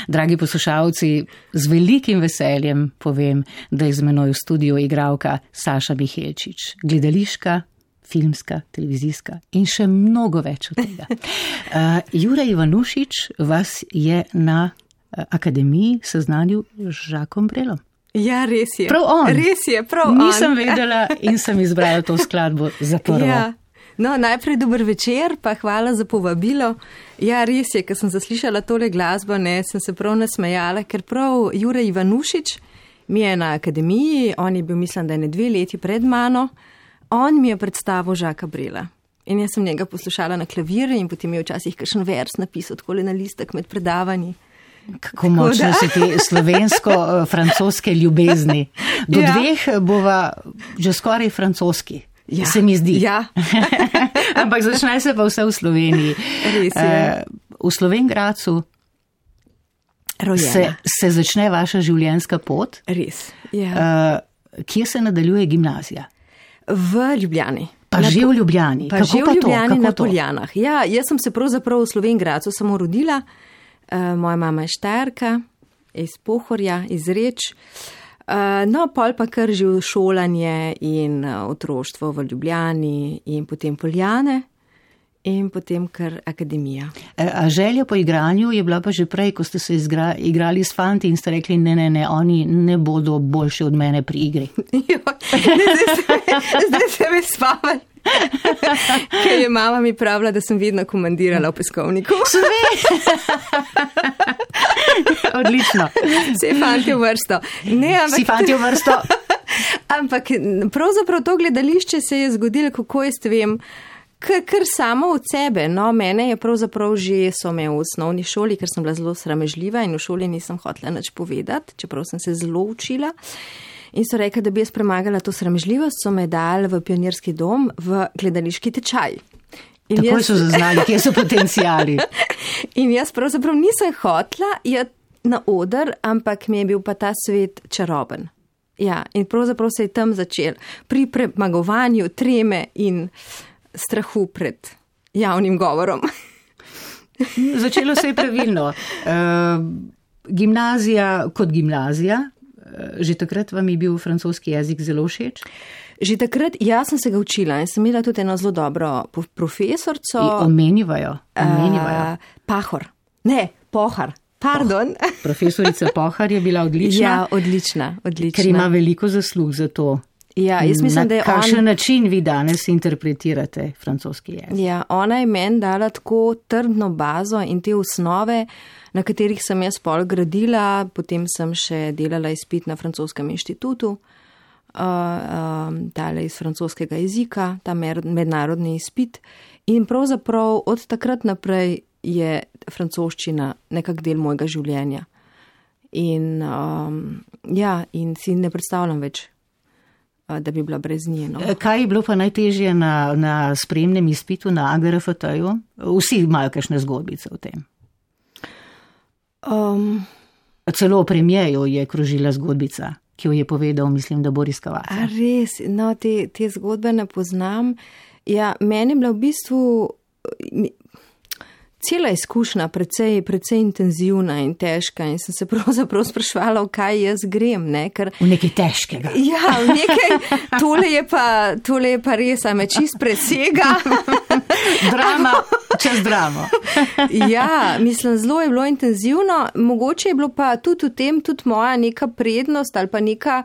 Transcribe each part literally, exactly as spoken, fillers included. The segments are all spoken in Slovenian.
Dragi poslušalci, z velikim veseljem povem, da je z menoj v studiu igralka Saša Mihelčič, gledališka, filmska, televizijska in še mnogo več od tega. Uh, Jure Ivanušič vas je na akademiji seznanil z Žakom Brelom. Ja, res je. Prav on. Res je, prav Nisem on. Nisem vedela in sem izbrala to skladbo za prvo. Ja. No, najprej dober večer, pa hvala za povabilo. Ja, res je, ko sem zaslišala tole glasbo, ne, sem se prav nasmejala, ker prav Jure Ivanušič mi je na akademiji, on je bil, mislim, da je ne dve leti pred mano, on mi je predstavil Žaka Brela. In jaz sem njega poslušala na klavir in potem je včasih kakšen vers napisal takole na listek med predavanji. Kako močno so te slovensko-francoske ljubezni. Do ja. dveh bova že skoraj francoski. Ja, se mi zdi. Ja. Ampak začne se pa vse v Sloveniji. Res je. V Slovenjgradcu se, se začne vaša življenjska pot. Res, ja. Kje se nadaljuje gimnazija? V Ljubljani. Pa na, že v Ljubljani. Pa Kako že v Ljubljani to? na Poljanah. Ja, jaz sem se pravzaprav v Slovenjgradcu samo rodila. Moja mama je Štajerka, iz Pohorja, iz Reč. No, pol pa kar že šolanje in otroštvo v Ljubljani in potem Poljane in potem kar akademija. A želja po igranju je bila pa že prej, ko ste se izgra, igrali s fanti in ste rekli, ne, ne, ne, oni ne bodo boljši od mene pri igri. Jo, zdaj se me spavali. Ker je mama mi pravila, da sem vedno komandirala v peskovniku. Odlično. Vsi fanti v vrsto. Ne, ampak... Vsi fanti v vrsto. Ampak pravzaprav to gledališče se je zgodilo, kako jaz vem, kar, kar samo od sebe. No, mene je pravzaprav že, so me v osnovni šoli, ker sem bila zelo sramežljiva in v šoli nisem hotela nič povedati, čeprav sem se zelo učila. In so rekli, da bi jaz premagala to sramežljivost, so me dali v pionirski dom v gledališki tečaj. In Takoj jaz... so zaznali, kje so potencijali. In jaz pravzaprav nisem hotla iti na oder, ampak mi je bil pa ta svet čaroben. Ja, in pravzaprav se je tam začel pri premagovanju treme in strahu pred javnim govorom. Začelo se je pravilno. Uh, gimnazija kot gimnazija. Že takrat vam je bil francoski jezik zelo všeč? Že takrat, jaz sem se ga učila in sem imela tudi eno zelo dobro profesorco. Omenivajo, omenivajo. Uh, Pahor. Ne, Pohar. Pardon. Oh, profesorica Pohar je bila odlična. Ja, odlična, odlična. Ker ima veliko zaslug za to. Ja, jaz mislim, na da je kakšen on... način vi danes interpretirate francoski jezik? Ja, ona je meni dala tako trdno bazo in te osnove, na katerih sem jaz pol gradila, potem sem še delala izpit na francoskem inštitutu, uh, um, dala iz francoskega jezika, ta mednarodni izpit in pravzaprav od takrat naprej je francoščina nekak del mojega življenja. In, um, ja, in si ne predstavljam več, da bi bila brez nje. No. Kaj je bilo pa najtežje na, na spremnem izpitu na A G R F T-ju? Vsi imajo kakšne zgodbice o tem. Um, Celo o premijeju je krožila zgodbica, ki jo je povedal, mislim, da Boris Kavaca. A res, no, te, te zgodbe ne poznam. Ja, meni je bila v bistvu cela izkušnja precej, precej intenzivna in težka in sem se pravzaprav sprašvala, v kaj jaz grem. Ne? Ker, v nekaj težkega. Ja, v nekaj, tole je pa, tole je pa res, a me čist presega. Drama, čez dramo. Ja, mislim, zelo je bilo intenzivno. Mogoče je bilo pa tudi v tem tudi moja neka prednost ali pa neka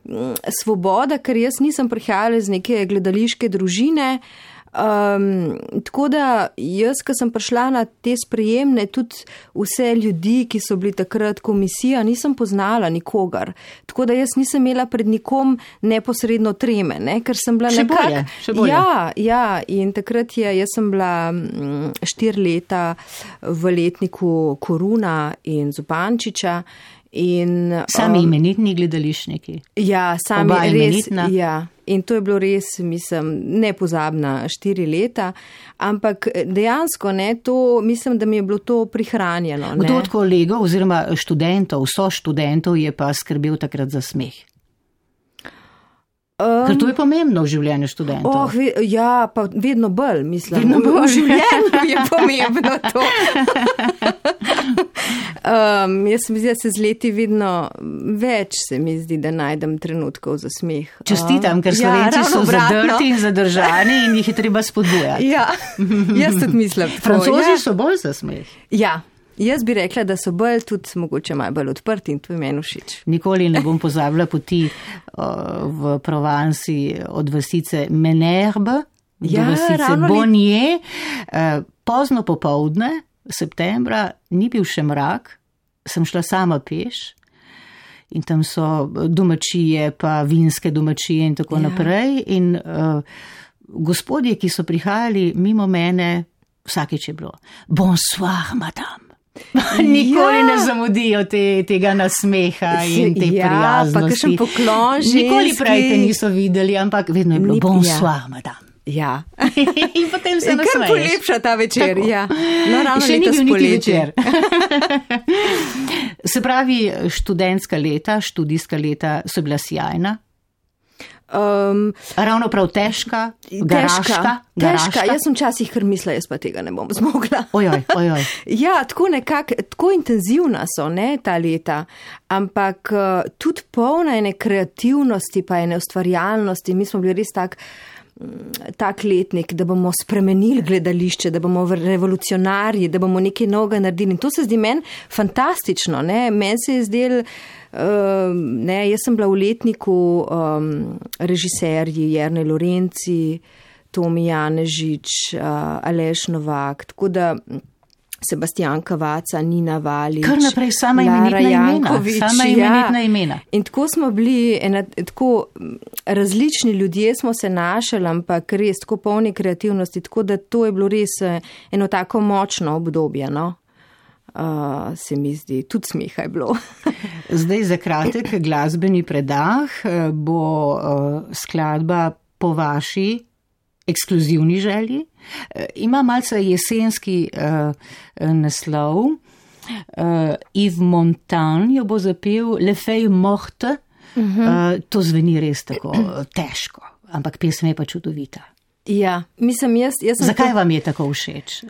m, svoboda, ker jaz nisem prihajala iz neke gledališke družine. Um, tako da jaz, ko sem prišla na te sprejemne, tudi vse ljudi, ki so bili takrat komisija, nisem poznala nikogar. Tako da jaz nisem imela pred nikom neposredno treme, ne? Ker sem bila še nekak... bolje, še bolje. Ja, ja, in takrat je, jaz sem bila štiri leta v letniku Koruna in Zupančiča. In, sami um, imenitni gledališniki. Ja, sami Oba res. Imenitna. Ja. In to je bilo res, mislim, nepozabna štiri leta, ampak dejansko ne, to, mislim, da mi je bilo to prihranjeno. Kdo od kolegov oziroma študentov, so študentov je pa skrbel takrat za smeh? Um, Ker to je pomembno v življenju študentov. Oh, ve, ja, pa vedno bolj, mislim. Vedno bolj. V življenju je pomembno to. Um, jaz se mi zdi, da se z leti vedno več se mi zdi, da najdem trenutkov za smeh. Čestitam, ker Slovenci ja, so zadrti in zadržani in jih je treba spodbujati. Ja, jaz tudi mislim. Francozi ja. so bolj za smeh. Ja, jaz bi rekla, da so bolj tudi mogoče malo bolj odprti in to je meni všeč. Nikoli ne bom pozabila poti uh, v Provansi od vasice Menerbe do ja, vasice Bonnier. Uh, pozno popovdne, septembra, ni bil še mrak, sem šla sama peš in tam so domačije, pa vinske domačije in tako ja. naprej. In uh, gospodje, ki so prihajali mimo mene, vsakeč je bilo, bonsoir, madame. Nikoli ja. ne zamudijo te, tega nasmeha in te ja, prijaznosti. Pa kakšen poklon ženski. Nikoli prej te niso videli, ampak vedno je bilo Ni, bonsoir, ja. madame. Ja. In potem se nasmeješ. Kar polepša ta večer, tako. Ja. No, ravno še ni bil niti večer. Se pravi, študentska leta, študijska leta so bila sjajna. Um, Ravno prav težka, garaška. Težka, jaz sem časih kar mislila, jaz pa tega ne bom zmogla. Ojoj, ojoj. Ja, tako nekako, tako intenzivna so, ne, ta leta, ampak uh, tudi polna ene kreativnosti, pa ene ustvarjalnosti. Mi smo bili res tak, tak letnik, da bomo spremenili gledališče, da bomo revolucionarji, da bomo nekaj novega naredili. In to se zdi meni fantastično, ne, meni se je zdel, Uh, ne, jaz sem bila v letniku um, režiserji Jernej Lorenci, Tomi Janežič, uh, Aleš Novak, tako da Sebastian Kavaca, Nina Valič, kar naprej sama imenitna imena, sama imenitna imena. Ja. In tako smo bili, ena, tako različni ljudje smo se našli, ampak res tako polni kreativnosti, tako da to je bilo res eno tako močno obdobje, no. Uh, se mi zdi, tudi smeha je bilo. Zdaj za kratek glasbeni predah bo uh, skladba po vaši ekskluzivni želji. Uh, ima malce jesenski uh, naslov. Uh, Yves Montand jo bo zapel Le Feuille Morte. Uh -huh. uh, to zveni res tako težko, ampak pesem je pa čudovita. Ja, mislim, jaz, jaz sem Zakaj to... vam je tako všeč?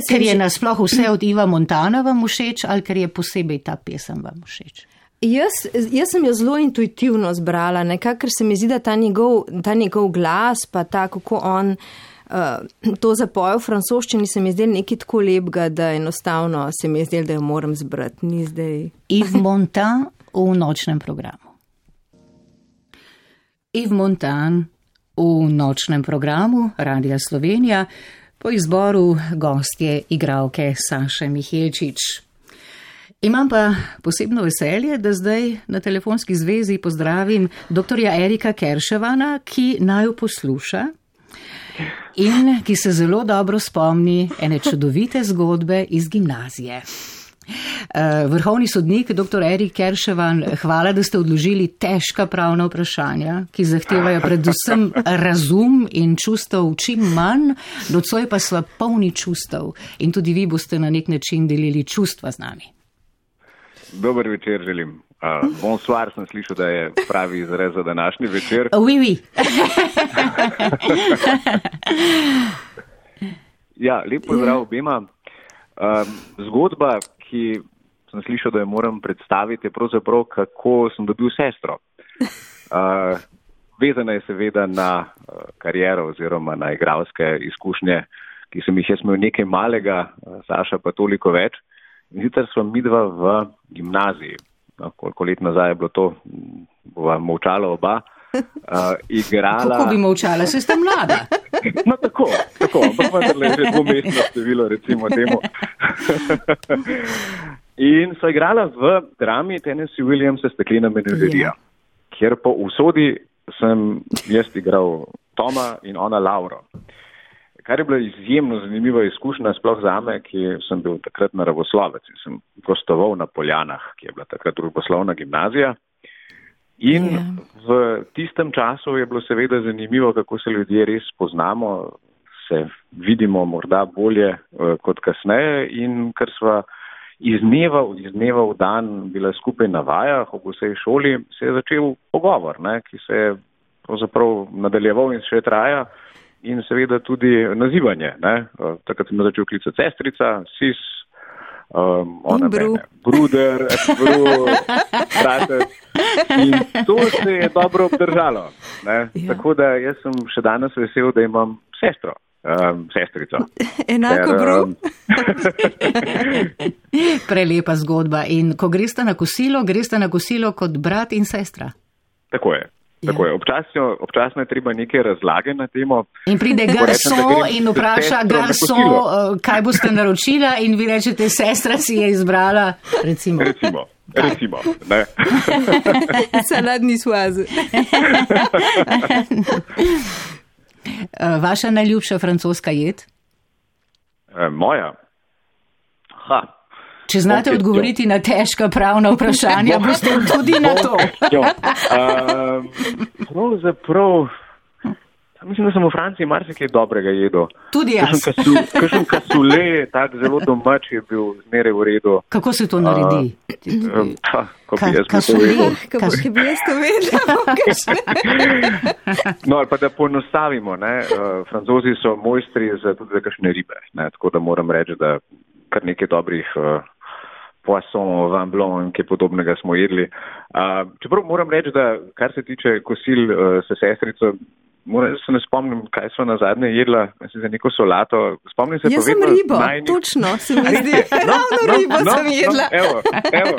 Ker je nasploh vse od Iva Montana vam všeč ali ker je posebej ta pesem vam všeč? Jaz, jaz sem jo zelo intuitivno zbrala, nekako, ker se mi zdi, da ta njegov, ta njegov glas, pa ta, kako on uh, to zapoje v francoščini, se mi zdi nekaj tako lepega, da enostavno se mi zdi, da jo moram zbrati. Ni zdaj. Yves Montand v nočnem programu. Yves Montand v nočnem programu Radia Slovenija, po izboru gostje igralke Saše Mihelčič. Imam pa posebno veselje, da zdaj na telefonski zvezi pozdravim doktorja Erika Kerševana, ki naju posluša in ki se zelo dobro spomni ene čudovite zgodbe iz gimnazije. Vrhovni sodnik, doktor Erik Kerševan, hvala, da ste odložili težka pravna vprašanja, ki zahtevajo predvsem razum in čustev čim manj, nocoj pa sva polni čustev in tudi vi boste na nek način delili čustva z nami. Dober večer želim. Uh, bonsoir sem slišal, da je pravi izraz za današnji večer. Oui, oui. Ja, lep pozdrav obema. Uh, zgodba, ki sem slišal, da jo moram predstaviti, je pravzaprav, kako sem dobil sestro. Uh, vezana je seveda na uh, kariero oziroma na igralske izkušnje, ki sem jih jaz imel nekaj malega, uh, Saša pa toliko več. In sicer sva midva v gimnaziji. No, koliko let nazaj je bilo to, bova molčala oba. Uh, igrala... Kako bi molčala, se ste mlada? No tako, tako, ampak vendarle že dvomestno število, recimo temu. In so igrala v drami Tennessee Williamsa Steklena menažerija, yeah. kjer po usodi sem jaz igral Toma in ona Lauro. Kar je bila izjemno zanimiva izkušnja, sploh zame, ki sem bil takrat naravoslovec in sem gostoval na Poljanah, ki je bila takrat družboslovna gimnazija. In yeah. v tistem času je bilo seveda zanimivo, kako se ljudje res poznamo, se vidimo morda bolje uh, kot kasneje in ker sva iz dneva, iz dneva v dan bila skupaj na vajah ob vsej šoli, se je začel pogovor, ne, ki se je pravzaprav nadaljeval in še traja in seveda tudi nazivanje. Ne. Uh, takrat sem začel klicati sestrica, sis, Um, ona Bru. mene, bruder, bru, bratec. In to se je dobro obdržalo. Ne? Ja. Tako da jaz sem še danes vesel, da imam sestro, um, sestrico. Enako Ker, bru. um, Prelepa zgodba. In ko greste na kosilo, greste na kosilo kot brat in sestra. Tako je. Tako je. Občasno, občasno je treba neke razlage na temo. In pride garson in vpraša garson, kaj boste naročila in vi rečete, sestra si je izbrala, recimo. Recimo, recimo. Ne. Saladni suaze. Vaša najljubša francoska jed? E, moja? Ha. Če znate Ok, odgovoriti jo. na težka pravna vprašanja, boste tudi na to. Um, pravzaprav, mislim, da sem v Franciji marsikaj dobrega jedel. Tudi jaz. Kakšen kasule, tak zelo domač je bil zmeraj v redu. Kako se to naredi? Uh, pa, ko Ka- bi jaz kasule? povedal. Kako Kas- bi jaz to vedela? No, ali pa da poenostavimo, ne, uh, Francozi so mojstri za tudi za kakšne ribe, ne, tako da moram reči, da kar nekaj dobrih uh, poisson, vin blanc in kaj podobnega smo jedli. Uh, čeprav moram reči, da kar se tiče kosil uh, s sestrico, moram, se ne spomnim, kaj so na zadnje jedla, mislim, za neko solato. Spomnim se Jaz pa sem vedno ribo, najnih... točno se mi zdi. Ravno ribo sem jedla. No, evo, evo.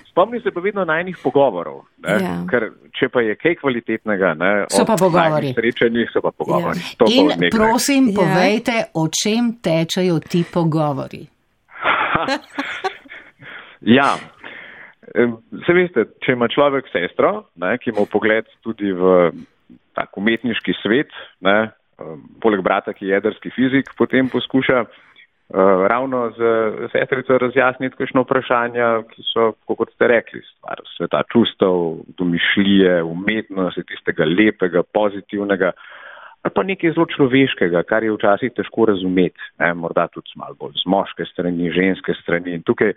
Spomnim se pa vedno najnih pogovorov, ne? Ja. Ker če pa je kaj kvalitetnega, ne, So pa ob pogovori. najnih srečanjih so pa pogovori. Ja. To pa In od nekaj. prosim, Ja. povejte, o čem tečejo ti pogovori. Ja, Em, se veste, če ima človek sestro, ne, ki ima pogled tudi v tak umetniški svet, ne, em, poleg brata, ki je jedrski fizik, potem poskuša uh, ravno z sestrico razjasniti kakšno vprašanja, ki so, kot ste rekli, stvar sveta čustev, domišljije, umetnosti, tistega lepega, pozitivnega, ali pa nekaj zelo človeškega, kar je včasih težko razumeti, ne, morda tudi malo bolj z moške strani, ženske strani. In tukaj,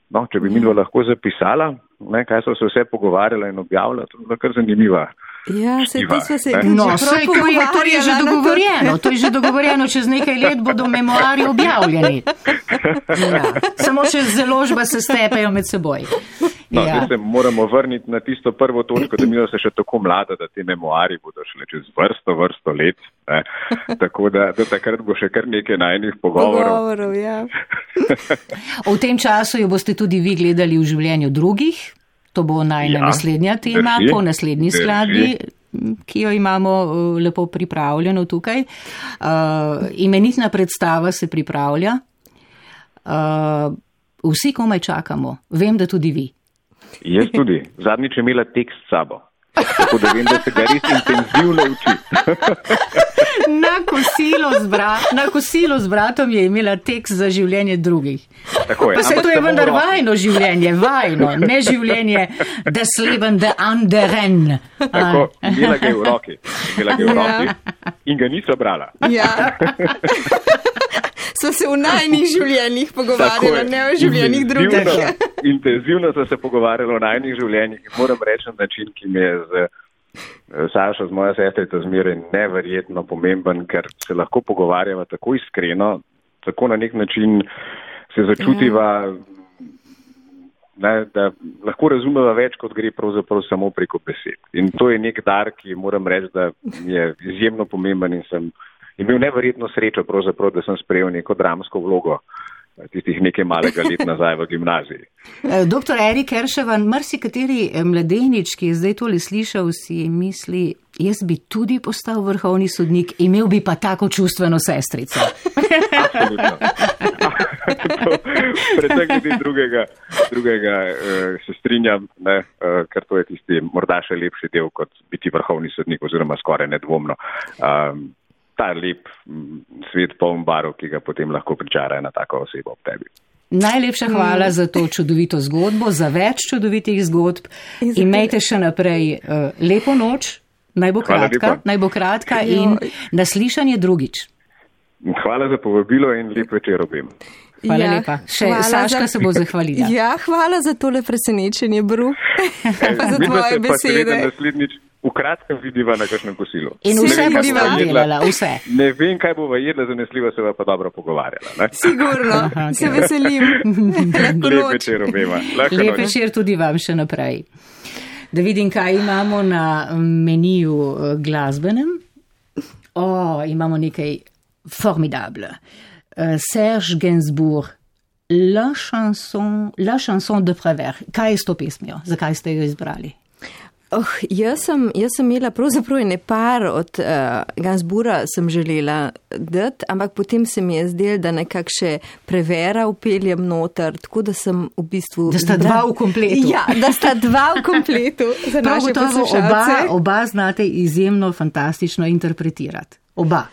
no, če bi mi dva lahko zapisala, ne, kaj so se vse pogovarjala in objavila, to je kar zanimiva. Ja, se Štiva, to smo se ne? že No, prav saj to je, to je že pogovarjala na to- dogovorjeno, to je že dogovorjeno, čez nekaj let bodo memoarji objavljeni. Ja. Samo če založba se stepejo med seboj. No, Ja. zdaj se moramo vrniti na tisto prvo točko, da mi se še tako mlada, da te memoari bodo šle čez vrsto, vrsto let. Ne. Tako da do takrat bo še kar nekaj najnih pogovorov. Pogovorov, ja. V tem času jo boste tudi vi gledali v življenju drugih. To bo najna Ja, naslednja tema, drži, po naslednji drži. skladbi, ki jo imamo uh, lepo pripravljeno tukaj. Uh, imenitna predstava se pripravlja. Uh, vsi komaj čakamo. Vem, da tudi vi. Jaz tudi. Zadnjič je imela tekst s sabo. Tako da vem, da se ga res intenzivno uči. Na kosilo z, bra na kosilo z bratom je imela tekst za življenje drugih. Tako je, Pa se ampak to je samo v vendar roki. vajno življenje, vajno, ne življenje des Leben der anderen. Tako, imela ga je v roki. Imela ga je v Ja. roki in ga niso brala. Ja. Smo se v najnih življenjih Tako pogovarjali, je. ne o življenjih drugih. Intenzivno- Intenzivno so se pogovarjali o najnih življenjih in moram reči na način, ki mi je z eh, Sašo, z mojo sestrico zmeraj neverjetno pomemben, ker se lahko pogovarjava tako iskreno, tako na nek način se začutiva, ne, da lahko razumeva več, kot gre pravzaprav samo preko besed. In to je nek dar, ki moram reči, da je izjemno pomemben in sem imel neverjetno srečo, pravzaprav, da sem sprejel neko dramsko vlogo tistih nekaj malega let nazaj v gimnaziji. Doktor Erik Erševan, marsikateri mladenič, ki je zdaj tole slišal, si misli, jaz bi tudi postal vrhovni sodnik, imel bi pa tako čustveno sestrico. Absolutno. Predvsem glede drugega, drugega uh, se strinjam, ne, uh, ker to je tisti morda še lepši del kot biti vrhovni sodnik oziroma skoraj nedvomno. Um, ta lep m, svet poln barov, ki ga potem lahko pričara ena taka oseba ob tebi. Najlepša hvala za to čudovito zgodbo, za več čudovitih zgodb. In za Imejte še naprej uh, lepo noč, naj bo Hvala kratka, lepa. naj bo kratka in Joj. naslišanje drugič. Hvala za povabilo in lep večer obim. Hvala lepa. Še hvala Saška za- se bo zahvalila. Ja, hvala za tole presenečenje, Bru, pa za Midva tvoje se pa seveda besede. naslednjič v kratkem vidiva na kakšnem kosilu. In vse boste delala, vse. Ne vem, kaj bova jedla, zanesljivo se pa dobro pogovarjala. Ne? Sigurno, okay. Se veselim. Lep večer obema. Lep večer tudi vam še naprej. Da vidim, kaj imamo na meniju glasbenem. O, imamo nekaj formidable. Serge Gainsbourg, La chanson, La chanson de Prévert. Kaj je s to pesmijo? Zakaj ste jo izbrali? Oh, jaz, sem, jaz sem imela pravzaprav ene par od uh, Gainsbourga sem želela dati, ampak potem se mi je zdelo, da nekak še Préverta upeljem noter, tako da sem v bistvu... Da sta dva v kompletu. Ja, da sta dva v kompletu za naše poslušalce. Oba, oba znate izjemno fantastično interpretirati. Oba.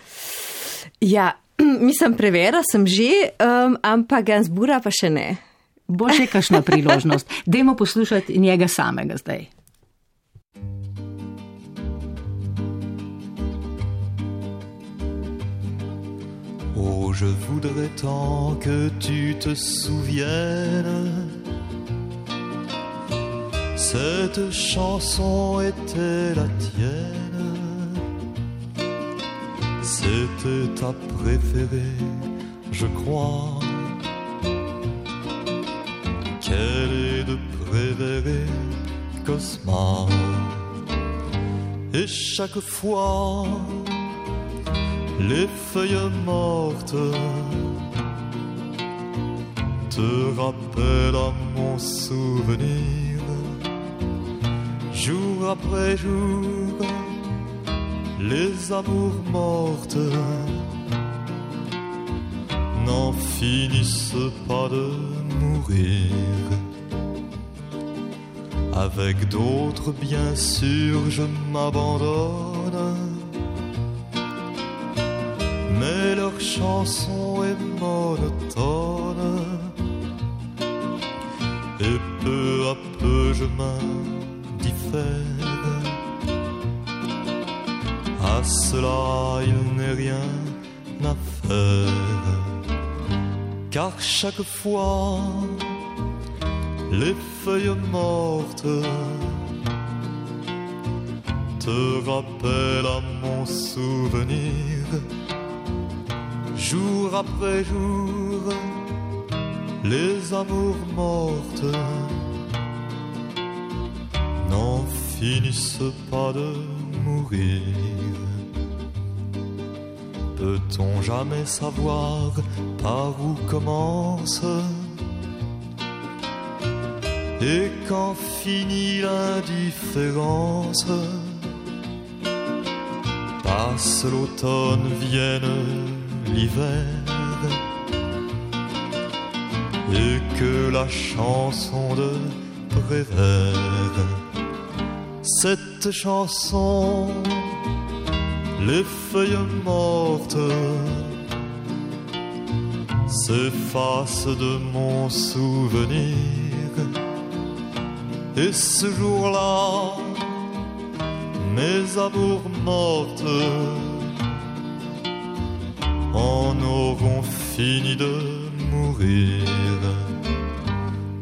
Ja, mislim, Préverta sem že, um, ampak Gainsbourga pa še ne. Bo še kakšna priložnost. Dajmo poslušati njega samega zdaj. Oh, je voudrais tant que tu te souviennes, cette chanson était la tienne, c'était ta préférée, je crois, qu'elle est de Prévert et Cosma, et chaque fois les feuilles mortes te rappellent à mon souvenir, jour après jour, les amours mortes n'en finissent pas de mourir. Avec d'autres, bien sûr, je m'abandonne, mais leur chanson est monotone, et peu à peu je m'indiffère. À cela il n'est rien à faire, car chaque fois les feuilles mortes te rappellent à mon souvenir, jour après jour, les amours mortes n'en finissent pas de mourir. Peut-on jamais savoir par où commence et quand finit l'indifférence? Passe l'automne, vienne l'hiver, et que la chanson de Prévert, cette chanson, les feuilles mortes s'effacent de mon souvenir, et ce jour-là, mes amours mortes en auront fini de mourir.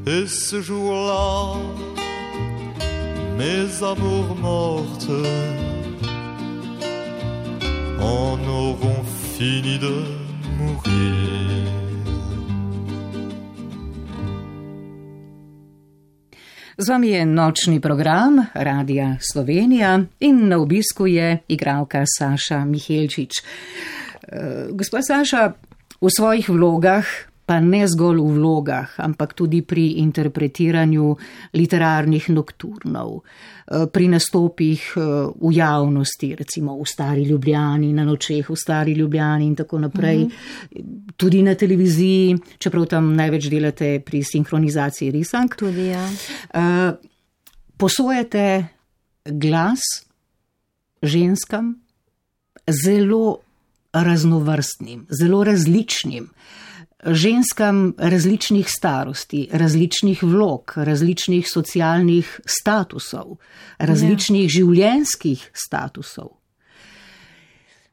Et ce jour-là, mes amours mortes en auront fini de mourir. Z vami je nočni program Radia Slovenija in na obisku je igralka Saša Mihelčič. Gospa Saša, v svojih vlogah, pa ne zgolj v vlogah, ampak tudi pri interpretiranju literarnih nokturnov, pri nastopih v javnosti, recimo v Stari Ljubljani, na nočeh v Stari Ljubljani in tako naprej, mm-hmm. tudi na televiziji, čeprav tam največ delate pri sinhronizaciji risank. Tudi, ja. Posojate glas ženskam zelo raznovrstnim, zelo različnim, ženskam različnih starosti, različnih vlog, različnih socialnih statusov, različnih ja. življenjskih statusov.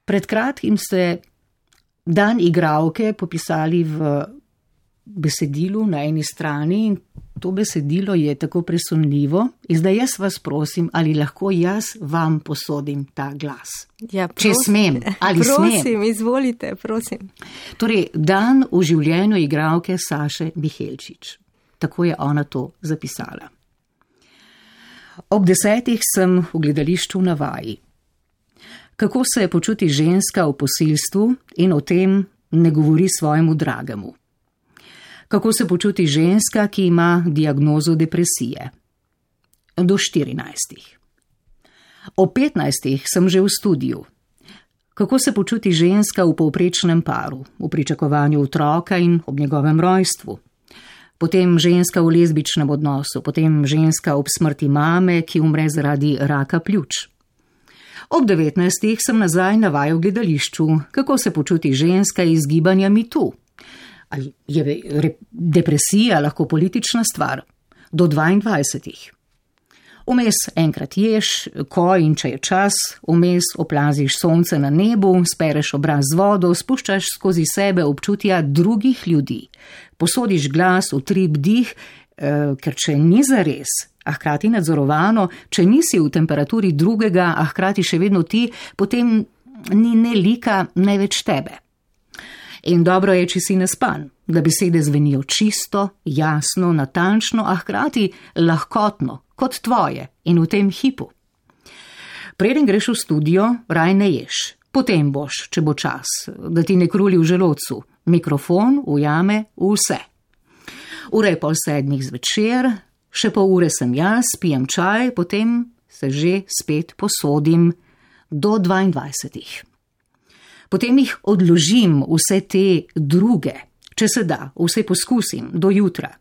Pred kratkim ste dan igralke popisali v besedilu na eni strani in to besedilo je tako presunljivo in zdaj jaz vas prosim, ali lahko jaz vam posodim ta glas. Ja, če smem, ali prosim, smem. Izvolite, prosim. Torej, dan v življenju igralke Saše Mihelčič. Tako je ona to zapisala. Ob desetih sem v gledališču na vaji. Kako se počuti ženska v posilstvu in o tem ne govori svojemu dragemu. Kako se počuti ženska, ki ima diagnozo depresije? Do štirinajstih. O petnajstih sem že v studiu. Kako se počuti ženska v povprečnem paru, v pričakovanju otroka in ob njegovem rojstvu? Potem ženska v lezbičnem odnosu, potem ženska ob smrti mame, ki umre zaradi raka pljuč. Ob devetnajstih sem nazaj na vaju v gledališču. Kako se počuti ženska iz gibanja MeToo? Ali je depresija lahko politična stvar? Do dvaindvajsetih. Vmes enkrat ješ, ko in če je čas, vmes oplaziš sonce na nebu, spereš obraz z vodo, spuščaš skozi sebe občutja drugih ljudi. Posodiš glas, utrip, dih, eh, ker če ni zares, a hkrati nadzorovano, če nisi v temperaturi drugega, a hkrati še vedno ti, potem ni ne lika, ne več tebe. In dobro je, če si naspan, da besede zvenijo čisto, jasno, natančno, a hkrati lahkotno, kot tvoje in v tem hipu. Preden greš v studio, raj ne ješ. Potem boš, če bo čas, da ti ne kruli v želodcu. Mikrofon ujame vse. Ura je pol sedmih zvečer, še pol ure sem jaz, pijem čaj, potem se že spet posodim do dvaindvajsetih. Potem jih odložim vse te druge, če se da, vse poskusim, do jutra.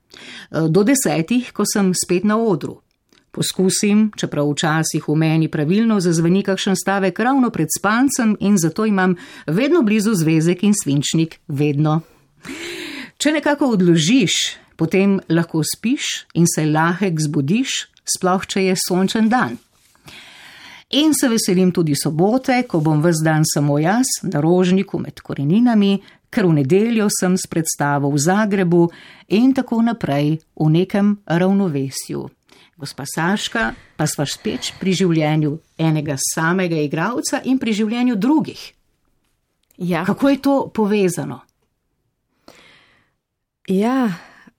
Do desetih, ko sem spet na odru. Poskusim, čeprav včasih v meni pravilno zazveni kakšen stavek ravno pred spancem in zato imam vedno blizu zvezek in svinčnik, vedno. Če nekako odložiš, potem lahko spiš in se lahek zbudiš, sploh če je sončen dan. In se veselim tudi sobote, ko bom ves dan samo jaz na Rožniku med koreninami, ker v nedeljo sem s predstavo v Zagrebu in tako naprej v nekem ravnovesju. Gospa Saška, pa sva spet pri življenju enega samega igralca in pri življenju drugih. Ja. Kako je to povezano? Ja,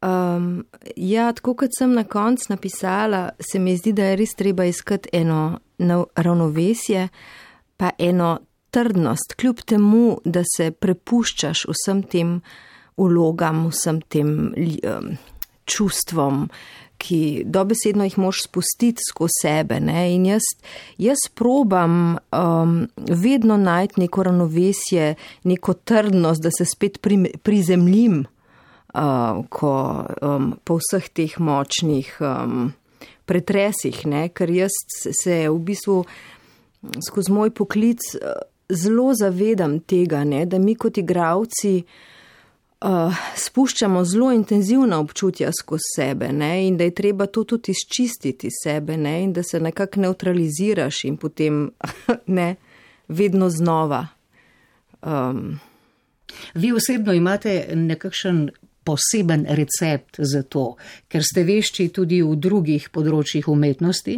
um, ja, tako kot sem na koncu napisala, se mi zdi, da je res treba iskati eno ravnovesje, pa eno trdnost, kljub temu, da se prepuščaš vsem tem vlogam, vsem tem um, čustvom, ki dobesedno jih moš spustiti skozi sebe. Ne? In jaz, jaz probam um, vedno najti neko ravnovesje, neko trdnost, da se spet pri, prizemljim uh, ko, um, po vseh teh močnih um, pretresih, ne? Ker jaz se v bistvu skozi moj poklic zelo zavedam tega, ne? Da mi kot igralci Uh, spuščamo zelo intenzivna občutja skozi sebe, ne, in da je treba to tudi izčistiti sebe, ne, in da se nekako neutraliziraš in potem ne, vedno znova. Um. Vi osebno imate nekakšen poseben recept za to, ker ste vešči tudi v drugih področjih umetnosti?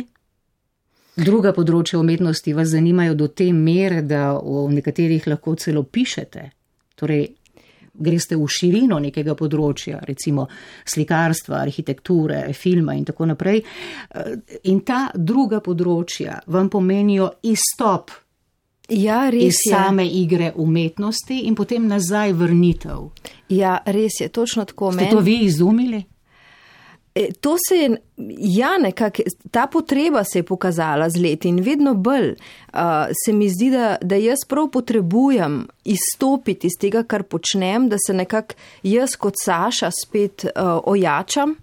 Druga področja umetnosti vas zanimajo do te mere, da v nekaterih lahko celo pišete, torej greste v širino nekega področja, recimo slikarstva, arhitekture, filma in tako naprej. In ta druga področja vam pomenijo izstop ja, res iz same je. Igre umetnosti in potem nazaj vrnitev. Ja, res je, točno tako. Ste to vi izumili? To se je, ja, nekako, ta potreba se je pokazala z leti in vedno bolj uh, se mi zdi, da, da jaz prav potrebujem izstopiti iz tega, kar počnem, da se nekako jaz kot Saša spet uh, ojačam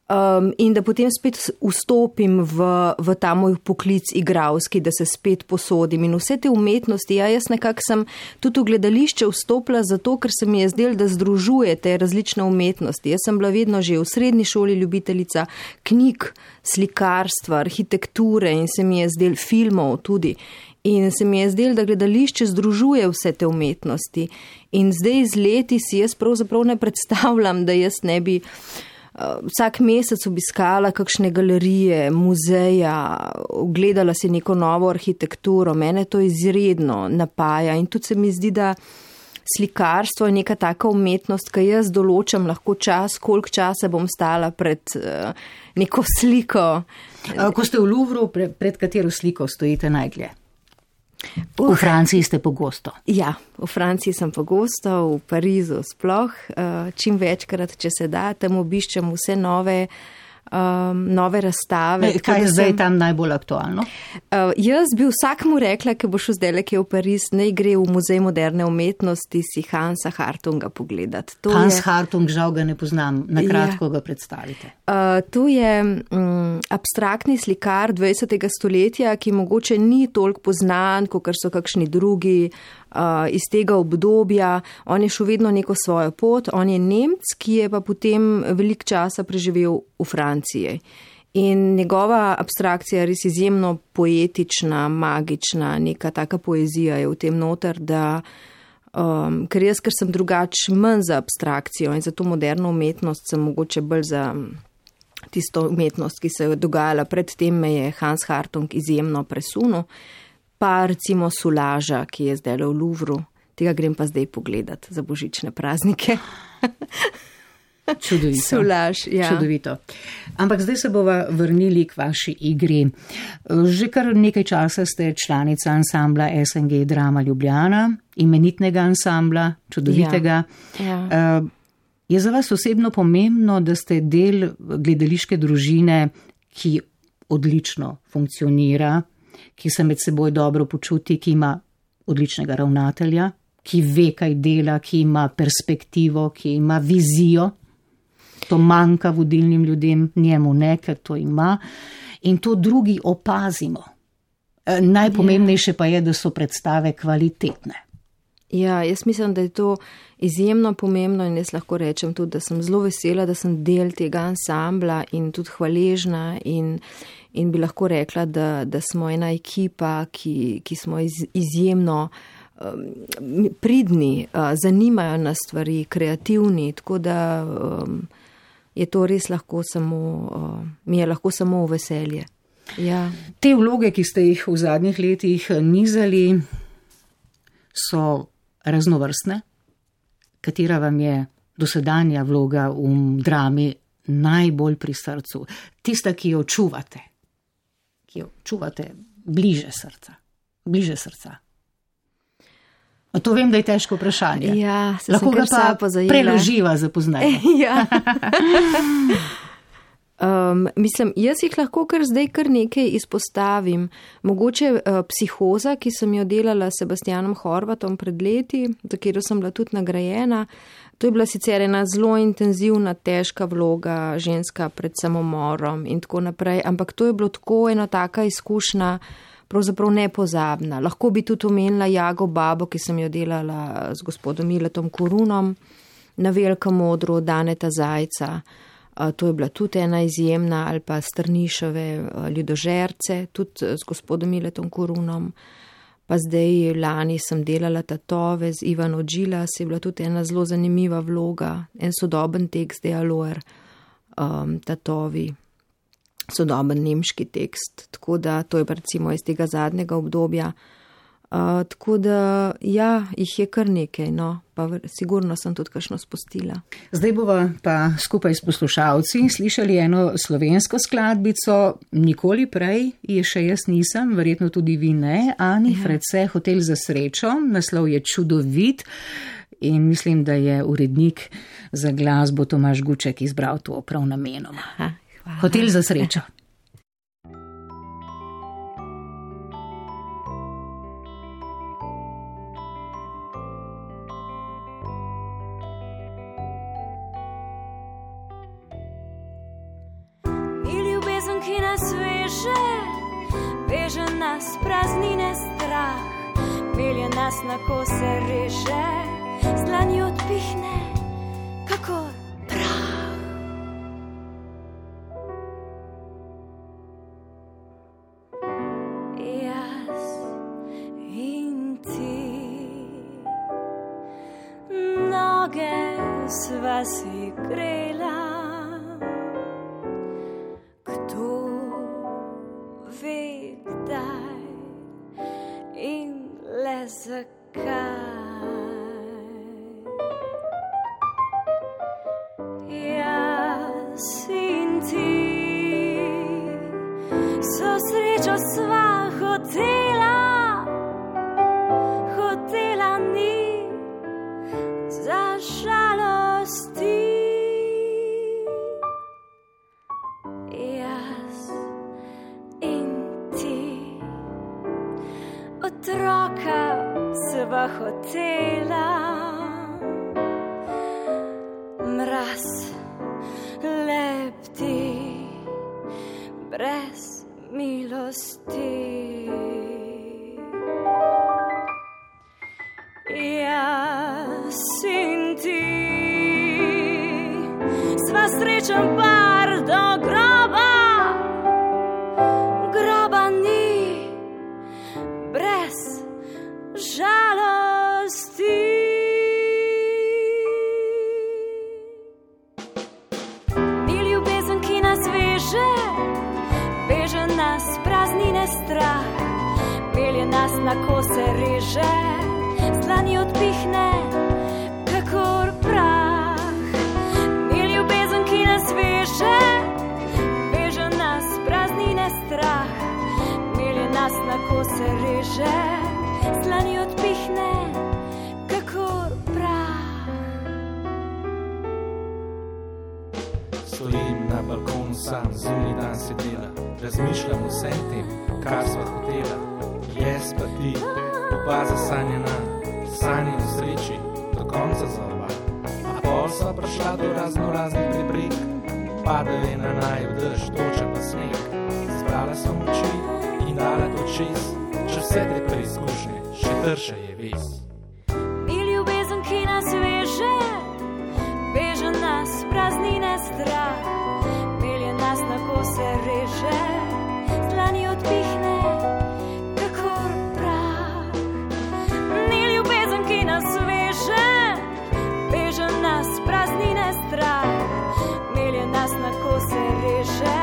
um, in da potem spet vstopim v, v ta moj poklic igralski, da se spet posodim in vse te umetnosti. Ja, jaz nekako sem tudi v gledališče vstopila zato, ker se mi je zdel, da združuje te različne umetnosti. Jaz sem bila vedno že v srednji šoli ljubiteljica knjig, slikarstva, arhitekture in se mi je zdel filmov tudi. In se mi je zdelo, da gledališče združuje vse te umetnosti. In zdaj z leti si jaz pravzaprav ne predstavljam, da jaz ne bi uh, vsak mesec obiskala kakšne galerije, muzeja, ogledala si neko novo arhitekturo. Mene to izredno napaja in tudi se mi zdi, da slikarstvo je neka taka umetnost, ki jaz določam lahko čas, koliko časa bom stala pred uh, neko sliko. Ko ste v Louvru, pred, pred katero sliko stojite najdlje? V uh, Franciji ste pogosto. Ja, v Franciji sem pogosto, v Parizu sploh. Uh, čim večkrat, če se da, tam obiščem vse nove, um, nove razstave. E, kaj je zdaj sem, tam najbolj aktualno? Uh, jaz bi vsakmu rekla, ki bo šel zdaj lekje v Pariz, naj gre v Muzej moderne umetnosti si Hansa Hartunga pogledati. To Hans je, Hartung, žal ga ne poznam, na kratko ja, ga predstavite. Uh, to je um, abstraktni slikar dvajsetega stoletja, ki mogoče ni toliko poznan, kot so kakšni drugi uh, iz tega obdobja. On je šel vedno neko svojo pot, on je Nemec, ki je pa potem veliko časa preživel v Franciji. In njegova abstrakcija je res izjemno poetična, magična, neka taka poezija je v tem noter, da um, ker jaz, ker sem drugač manj za abstrakcijo in za to moderno umetnost, sem mogoče bolj za tisto umetnost, ki se je dogajala predtem, me je Hans Hartung izjemno presunil, pa recimo Solaža, ki je zdaj v Louvru, tega grem pa zdaj pogledat za božične praznike. Čudovito. Solaž, ja. Čudovito. Ampak zdaj se bova vrnili k vaši igri. Že kar nekaj časa ste članica ansambla S N G Drama Ljubljana, imenitnega ansambla, čudovitega. Ja. Ja. Je za vas osebno pomembno, da ste del gledališke družine, ki odlično funkcionira, ki se med seboj dobro počuti, ki ima odličnega ravnatelja, ki ve, kaj dela, ki ima perspektivo, ki ima vizijo. To manjka vodilnim ljudem, njemu ne, ker to ima. In to drugi opazimo. Najpomembnejše pa je, da so predstave kvalitetne. Ja, jaz mislim, da je to izjemno pomembno in jaz lahko rečem tudi, da sem zelo vesela, da sem del tega ansambla in tudi hvaležna in, in bi lahko rekla, da, da smo ena ekipa, ki, ki smo iz, izjemno um, pridni, uh, zanimajo nas stvari, kreativni, tako da um, je to res lahko samo, uh, mi je lahko samo v veselje. Ja. Te vloge, ki ste jih v zadnjih letih nizali, so raznovrstne. Katera vam je dosedanja vloga v drami najbolj pri srcu? Tista, ki jo čuvate, ki jo čuvate bliže srca, bliže srca. A to vem, da je težko vprašanje. Ja, se lahko ga pa preloživa za poznanje. Ja. Um, mislim, jaz jih lahko kar zdaj kar nekaj izpostavim. Mogoče uh, Psihoza, ki sem jo delala s Sebastianom Horvatom pred leti, za katero sem bila tudi nagrajena. To je bila sicer ena zelo intenzivna, težka vloga, ženska pred samomorom in tako naprej, ampak to je bilo tako ena taka izkušnja, pravzaprav nepozabna. Lahko bi tudi omenila Jago Babo, ki sem jo delala z gospodom Miletom Korunom na Velikem odru Daneta Zajca. To je bila tudi ena izjemna, ali pa Strnišove Ljudožerce, tudi z gospodom Miletom Korunom. Pa zdaj lani sem delala Tatove z Ivano Džilas, je bila tudi ena zelo zanimiva vloga, en sodoben tekst Dialoer, um, Tatovi, sodoben nemški tekst. Tako da to je recimo iz tega zadnjega obdobja. Uh, tako da, ja, jih je kar nekaj, no, pa sigurno sem tudi kakšno spustila. Zdaj bova pa skupaj s poslušalci slišali eno slovensko skladbico, nikoli prej je še jaz nisem, verjetno tudi vi ne, Ani ja. Fredse, Hotel za srečo, naslov je čudovit in mislim, da je urednik za glasbo Tomaž Guček izbral to prav namenoma. Aha, hvala. Hotel za srečo. Veže nas praznine strah, pelje nas na kose reže, z dlani odpihne, kakor prah. Jaz si grela. Kdo ve kdaj in le zakaj. Jaz in ti so srečo sva hotela, hotela ni za žalosti. Jaz in ti otroka sva hotela, mraz lepti brez milosti. Jaz in ti sva srečen par do groba, groba ni brez žalosti. Ni ljubezen, ki nas veže, veže nas praznine strah, pelje nas na kose reže, dlani odpihne, kakor prah. Ni ljubezen, ki nas veže, veže nas praznine strah, melje nas na kose reže, dlani odpihne, kakor prah. Stojim na balkonu sam, zunaj dan sedela, razmišljam o vsem tem, kar sva hotela. Jaz pa ti, oba zasanjena, sanji o sreči, do konca za oba. A pol sva prišla do razno raznih preprek, padal je na naju dež, toča pa sneg. Zbrala sem oči in dala to čez, če vse te preizkušnje, še trša je ves. Ni ljubezen, ki nas veže, veže nas praznine strah, pelje nas na kose reže, dlani odpihne, kakor prah. Ni ljubezen, ki nas veže, veže nas praznine strah, melje nas na kose reže,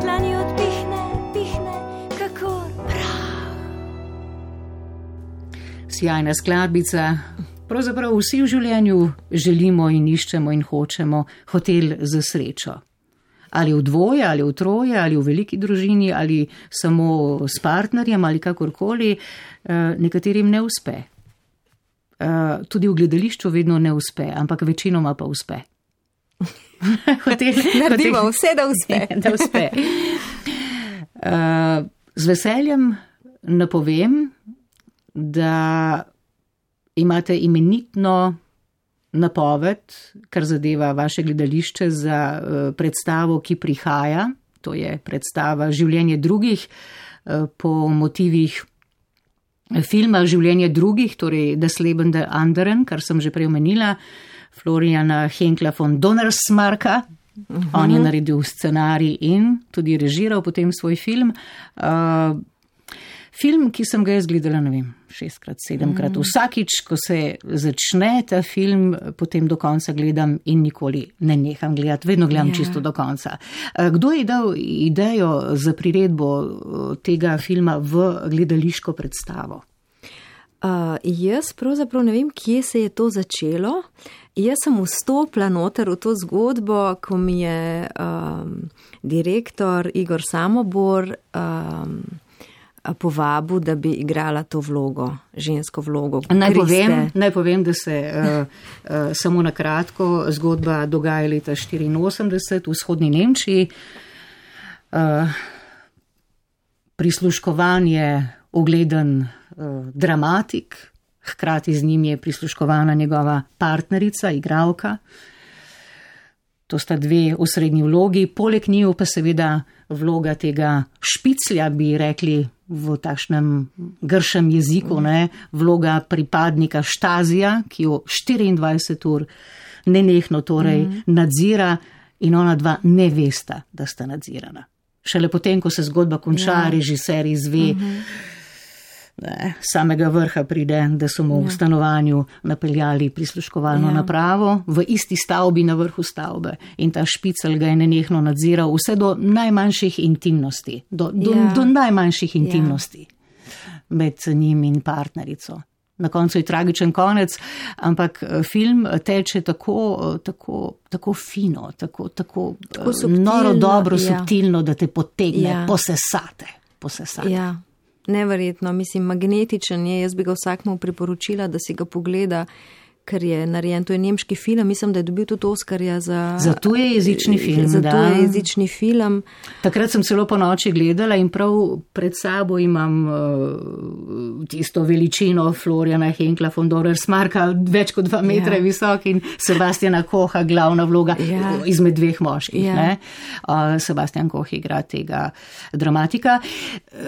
dlani odpihne, pihne, kakor prah. Sjajna skladbica. Pravzaprav vsi v življenju želimo in iščemo in hočemo hotel za srečo. Ali v dvoje, ali v troje, ali v veliki družini, ali samo s partnerjem, ali kakorkoli, nekaterim ne uspe. Tudi v gledališču vedno ne uspe, ampak večinoma pa uspe. Hotel, Naredimo hotel, vse, da uspe. da uspe. Z veseljem napovem, da imate imenitno napoved, kar zadeva vaše gledališče za predstavo, ki prihaja, to je predstava Življenje drugih, po motivih filma Življenje drugih, torej Das Leben der anderen, kar sem že prej omenila, Floriana Henkla von Donnersmarcka. Uh-huh. On je naredil scenarij in tudi režiral potem svoj film. Uh, Film, ki sem ga jaz gledala, ne vem, šestkrat, sedemkrat. Vsakič, ko se začne ta film, potem do konca gledam in nikoli ne neham gledati, vedno gledam yeah. čisto do konca. Kdo je dal idejo za priredbo tega filma v gledališko predstavo? Uh, jaz pravzaprav ne vem, kje se je to začelo. Jaz sem vstopila noter v to zgodbo, ko mi je um, direktor Igor Samobor um, povabil, da bi igrala to vlogo, žensko vlogo. Naj povem, naj povem, da se uh, uh, samo na kratko zgodba dogaja leta štiriinosemdeset v vzhodni Nemčiji. Uh, prisluškovan je ugleden uh, dramatik, hkrati z njim je prisluškovana njegova partnerica, igralka. To sta dve osrednji vlogi, poleg njiju pa seveda vloga tega špiclja, bi rekli v takšnem gršem jeziku, ne, vloga pripadnika Štazija, ki jo štiriindvajset ur nenehno torej mm. nadzira in ona dva ne vesta, da sta nadzirana. Šele potem, ko se zgodba konča, ja. režiser izve, mm-hmm. ne, samega vrha pride, da so mu v stanovanju napeljali prisluškovalno Ja. napravo v isti stavbi na vrhu stavbe in ta špicel ga je nenehno nadziral vse do najmanjših intimnosti, do, do, Ja. do najmanjših intimnosti med njim in partnerico. Na koncu je tragičen konec, ampak eh, film teče tako, eh, tako, tako fino, tako, tako, Tako eh, subtilno, noro dobro, ja. subtilno, da te potegne, Ja. posesate. posesate. Ja, neverjetno, mislim, magnetičen je, jaz bi ga vsakmu priporočila, da si ga pogleda, ker je narejen, to je nemški film, mislim, da je dobil tudi Oskarja za, Za tujejezični film, za da. tujejezični film. Takrat sem celo po noči gledala in prav pred sabo imam uh, tisto veličino Floriana Henkla von Dorersmarka, več kot dva metra Ja. visok in Sebastiana Koha, glavna vloga Ja. izmed dveh moških. Ja. Ne? Uh, Sebastian Koh igra tega dramatika. Uh,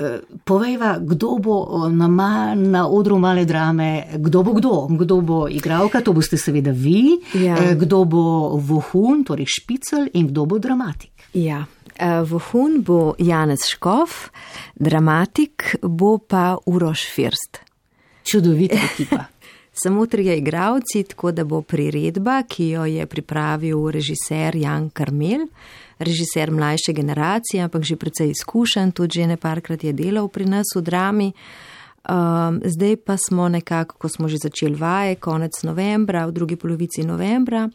povejva, kdo bo na, ma, na odru Male drame, kdo bo kdo, kdo bo igral. To boste seveda vi, Ja. kdo bo vohun, torej špicel in kdo bo dramatik. Ja, vohun bo Janez Škof, dramatik bo pa Uroš First. Čudovita ekipa. Samo trije igravci, tako da bo priredba, ki jo je pripravil režiser Jan Karmel, režiser mlajše generacije, ampak že precej izkušen, tudi že neparkrat je delal pri nas v drami. Um, zdaj pa smo nekako, ko smo že začeli vaje, konec novembra, v drugi polovici novembra,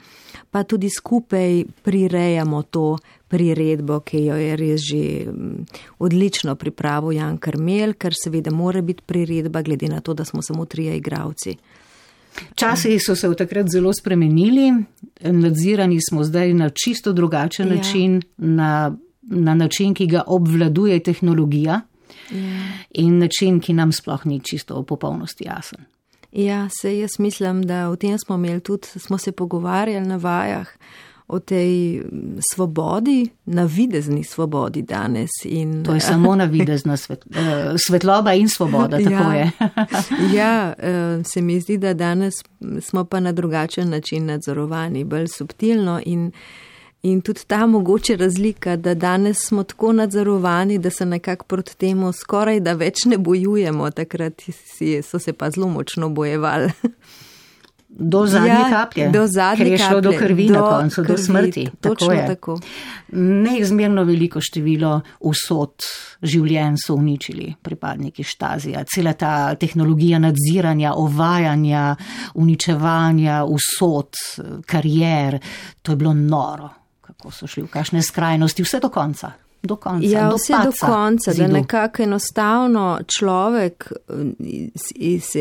pa tudi skupaj prirejamo to priredbo, ki jo je res že um, odlično pripravil Jan Karmel, ker seveda mora biti priredba, glede na to, da smo samo trije igravci. Časi so se v takrat zelo spremenili, nadzirani smo zdaj na čisto drugačen Ja. način, na, na način, ki ga obvladuje tehnologija. In način, ki nam sploh ni čisto v popolnosti jasen. Ja, se jaz mislim, da o tem smo imeli tudi, smo se pogovarjali na vajah o tej svobodi, navidezni svobodi danes. In, To je samo navidezna svet, svetloba in svoboda, tako ja. je. Ja, se mi zdi, da danes smo pa na drugačen način nadzorovani, bolj subtilno in In tudi ta mogoče razlika, da danes smo tako nadzorovani, da se nekako proti temu skoraj da več ne bojujemo, takrat si, so se pa zelo močno bojevali. Do zadnje Ja, kaplje, do zadnje ker je šlo do kaplje, krvi do na koncu, do krvi, smrti. točno tako je. tako. Neizmerno veliko število usod življenj so uničili pripadniki Štazija. Cela ta tehnologija nadziranja, ovajanja, uničevanja usod, karier, to je bilo noro. Kako so šli v kakšne skrajnosti, vse do konca. Do konca, Ja, do vse do padca konca, zidu. da nekako enostavno človek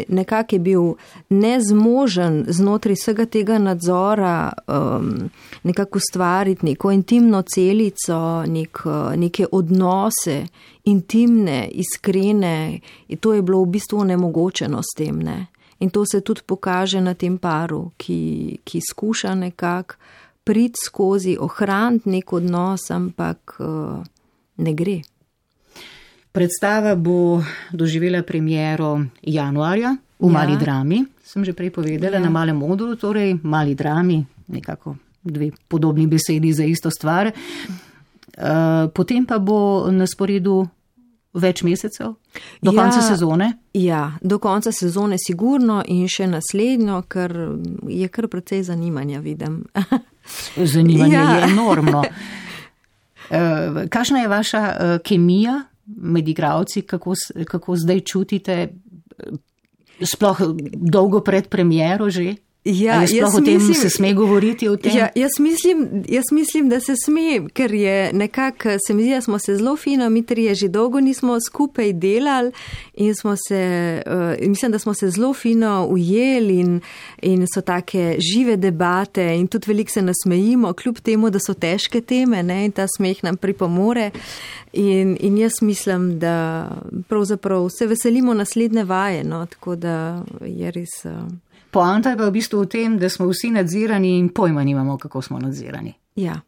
nekako je bil nezmožen znotraj vsega tega nadzora um, nekako ustvariti neko intimno celico, nek, neke odnose, intimne, iskrene, in to je bilo v bistvu nemogočeno s tem, ne. In to se tudi pokaže na tem paru, ki, ki skuša nekako priti skozi, ohraniti nek odnos, ampak uh, ne gre. Predstava bo doživela premiero januarja v Ja. Mali drami, sem že prej povedala, Ja. na Malem modru, torej Mali drami, nekako dve podobni besedi za isto stvar. Uh, potem pa bo na sporedu več mesecev, do Ja. konca sezone. Ja, do konca sezone sigurno in še naslednjo, ker je kar precej zanimanja, vidim. Zanimanje Ja. je enormno. Uh, kakšna je vaša uh, kemija med igravci, kako, s- kako zdaj čutite, sploh dolgo pred premiero že? Ja, Ali sploh jaz o tem mislim- se sme govoriti o tem? Ja, jaz, mislim, jaz mislim, da se sme, ker je nekako, se mi zdi, da smo se zelo fino, mi trije že dolgo nismo skupaj delali in smo se, uh, mislim, da smo se zelo fino ujeli in, in so take žive debate in tudi veliko se nasmejimo, kljub temu, da so težke teme, ne, in ta smeh nam pripomore. In, in jaz mislim, da pravzaprav se veselimo naslednje vaje, no, tako da je res. Uh, Poanta je pa v bistvu v tem, da smo vsi nadzirani in pojma nimamo, kako smo nadzirani. ja.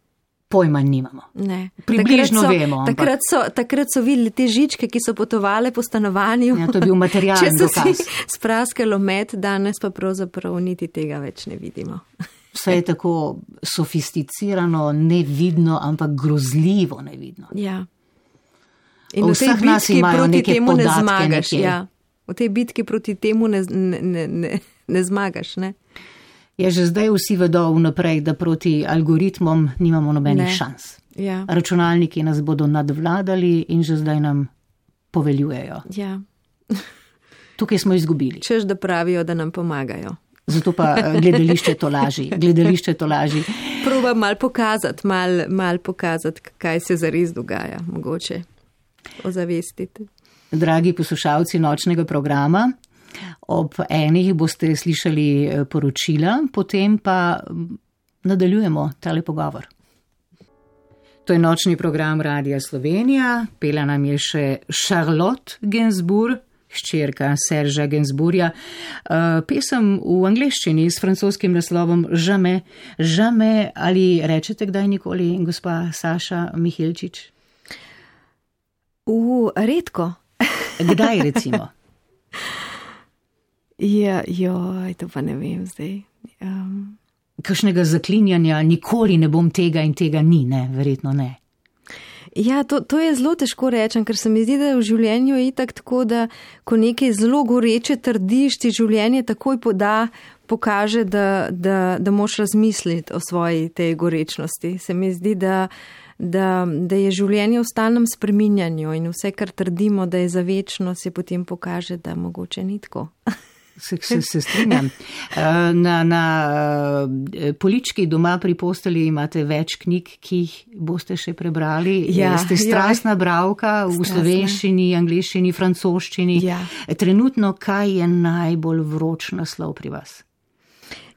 Pojma nimamo. Ne. Približno takrat so, vemo, ampak- Takrat so, takrat so videli te žičke, ki so potovale po stanovanju. Ja, to je bil materialni Če so dokaz. si spraskalo med, danes pa pravzaprav niti tega več ne vidimo. Vse je tako sofisticirano, nevidno, ampak grozljivo nevidno. Ja. In V v tej vseh nas bitki imajo proti neke temu ne podatke zmagaš. nekje. Ja. V tej bitki proti temu ne, ne, ne, ne zmagaš, ne? Ja, že zdaj vsi vedo vnaprej, da proti algoritmom nimamo nobenih Ne. šans. Ja. Računalniki nas bodo nadvladali in že zdaj nam poveljujejo. Ja. Tukaj smo izgubili. Češ, da pravijo, da nam pomagajo. Zato pa eh, gledališče to laži. Gledališče to laži. Proba mal pokazati, mal, mal pokazati, kaj se zares dogaja, mogoče ozavestiti. Dragi poslušalci nočnega programa, ob enih boste slišali eh, poročila, potem pa mm, nadaljujemo tale pogovor. To je nočni program Radia Slovenija, pela nam je še Charlotte Gainsbourg, hčerka Serža Gainsbourga, uh, pesem v angleščini s francoskim naslovom Jamais, Jamais, ali rečete kdaj nikoli, gospa Saša Mihelčič? U, redko. Kdaj recimo? Ja, joj, to pa ne vem zdaj. Um, Kakšnega zaklinjanja, nikoli ne bom tega in tega ni, ne, verjetno ne. Ja, to, to je zelo težko rečem, ker se mi zdi, da v življenju je itak tako, da ko nekaj zelo goreče trdiš, ti življenje takoj poda, pokaže, da, da, da moš razmisliti o svoji tej gorečnosti. Se mi zdi, da, da, da je življenje v stalnem spreminjanju in vse, kar trdimo, da je za večno, se potem pokaže, da mogoče ni tako. Se, se, se strinjam. Na, na polički doma pri posteli imate več knjig, ki jih boste še prebrali. Ja, Ste strastna bralka v Strastna. slovenščini, angleščini, francoščini. Ja. Trenutno, kaj je najbolj vroč naslov pri vas?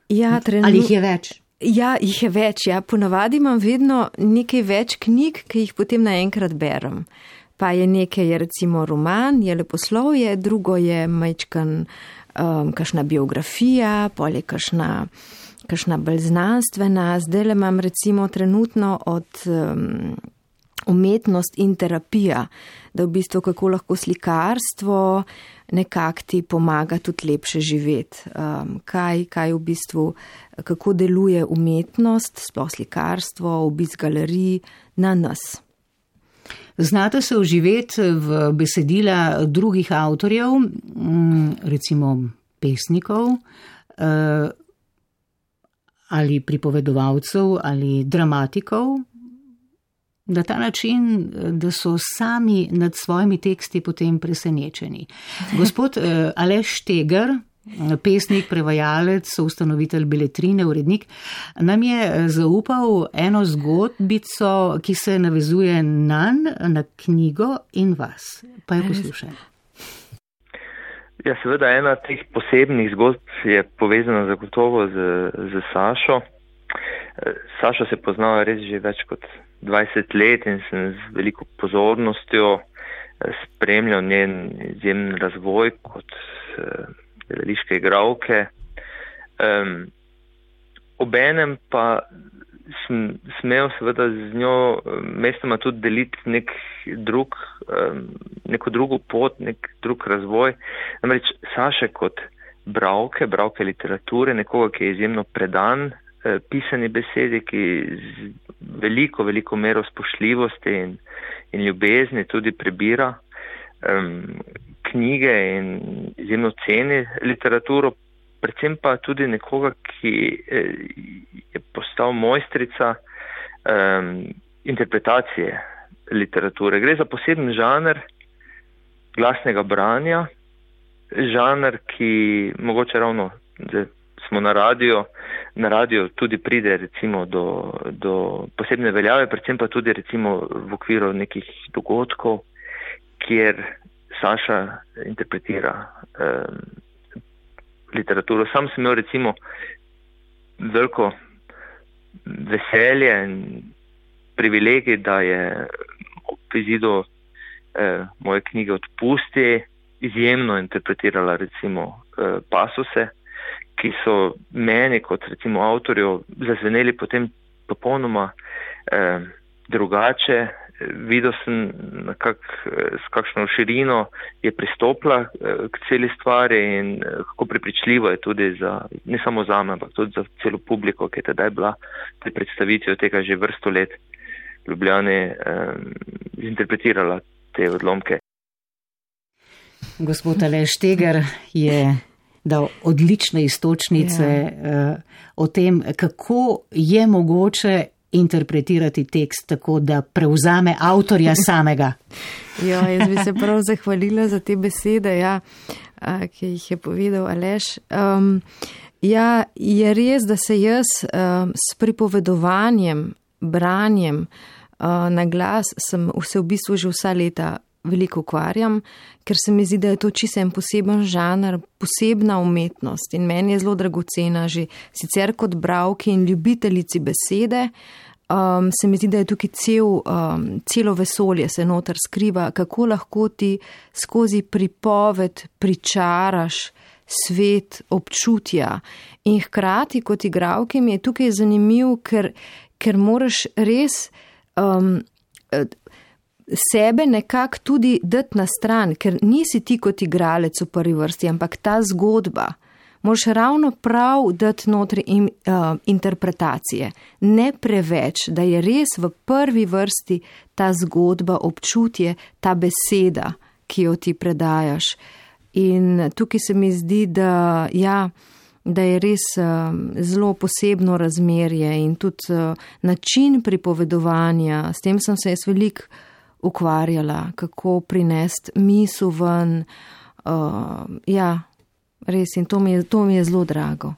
Ja, trenu... Ali jih je več? Ja, jih je več. Ja. Ponavadi imam vedno nekaj več knjig, ki jih potem naenkrat berem. Pa je nekaj, je recimo roman, je leposlovje, drugo je majčkan um, kakšna biografija, pol je kakšna, kakšna bolj znanstvena. Zdaj le imam recimo trenutno od um, umetnost in terapija, da v bistvu kako lahko slikarstvo nekako ti pomaga tudi lepše živeti. Um, kaj, kaj v bistvu, kako deluje umetnost, sploh slikarstvo, obisk galerij na nas. Znate se vživeti v besedila drugih avtorjev, recimo pesnikov ali pripovedovalcev ali dramatikov, na ta način, da so sami nad svojimi teksti potem presenečeni. Gospod Aleš Štegar, pesnik, prevajalec, soustanovitelj Beletrine, urednik, nam je zaupal eno zgodbico, ki se navezuje nanj, na knjigo in vas. Pa jo poslušajmo. Ja, seveda ena teh posebnih zgodb je povezana zagotovo z, z Sašo. Sašo se poznava res že več kot dvajset let in sem z veliko pozornostjo spremljal njen izjemen razvoj kot gledališke igralke. Um, obenem pa sem smel seveda z njo mestoma tudi deliti nek drug, um, neko drugo pot, nek drug razvoj. Namreč Saša kot bralke, bralke literature, nekoga, ki je izjemno predan eh, pisani besedi, ki z veliko, veliko mero spoštljivosti in, in ljubezni tudi prebira um, knjige in izjemno ceni literaturo, predvsem pa tudi nekoga, ki je postal mojstrica um, interpretacije literature. Gre za poseben žanr glasnega branja, žanr, ki mogoče ravno, da smo na radio, na radio tudi pride recimo do, do posebne veljave, predvsem pa tudi recimo v okviru nekih dogodkov, kjer Saša interpretira um, literaturo. Sam sem imel recimo veliko veselje in privilegij, da je ob izidu eh, moje knjige Odpusti izjemno interpretirala recimo eh, pasuse, ki so meni kot recimo avtorju zazveneli potem popolnoma eh, drugače. Videl sem, kak, s kakšno širino je pristopila k celi stvari in kako prepričljivo je tudi za, ne samo za me, ampak tudi za celo publiko, ki je tedaj bila pri predstavitvi tega že vrsto let v Ljubljani, eh, interpretirala te odlomke. Gospod Aleš Štegar je dal odlične istočnice ja. o tem, kako je mogoče interpretirati tekst tako, da prevzame avtorja samega. Ja, jaz bi se prav zahvalila za te besede, ja, ki jih je povedal Aleš. Um, ja, je res, da se jaz um, s pripovedovanjem, branjem uh, na glas sem se v bistvu že vsa leta veliko ukvarjam, ker se mi zdi, da je to čisto en poseben žanr, posebna umetnost in meni je zelo dragocena že sicer kot bralki in ljubiteljici besede. Um, se mi zdi, da je tukaj cel, um, celo vesolje se noter skriva, kako lahko ti skozi pripoved pričaraš svet občutja. In hkrati kot igralki mi je tukaj zanimiv, ker, ker moraš res um, sebe nekako tudi dati na stran, ker nisi ti kot igralec v prvi vrsti, ampak ta zgodba. Moraš ravno prav dati notri in, uh, interpretacije, ne preveč, da je res v prvi vrsti ta zgodba, občutje, ta beseda, ki jo ti predajaš. In tukaj se mi zdi, da, ja, da je res uh, zelo posebno razmerje in tudi uh, način pripovedovanja. S tem sem se jaz veliko ukvarjala, kako prinesti misel ven, uh, ja, res, in to mi je, to mi je zelo drago.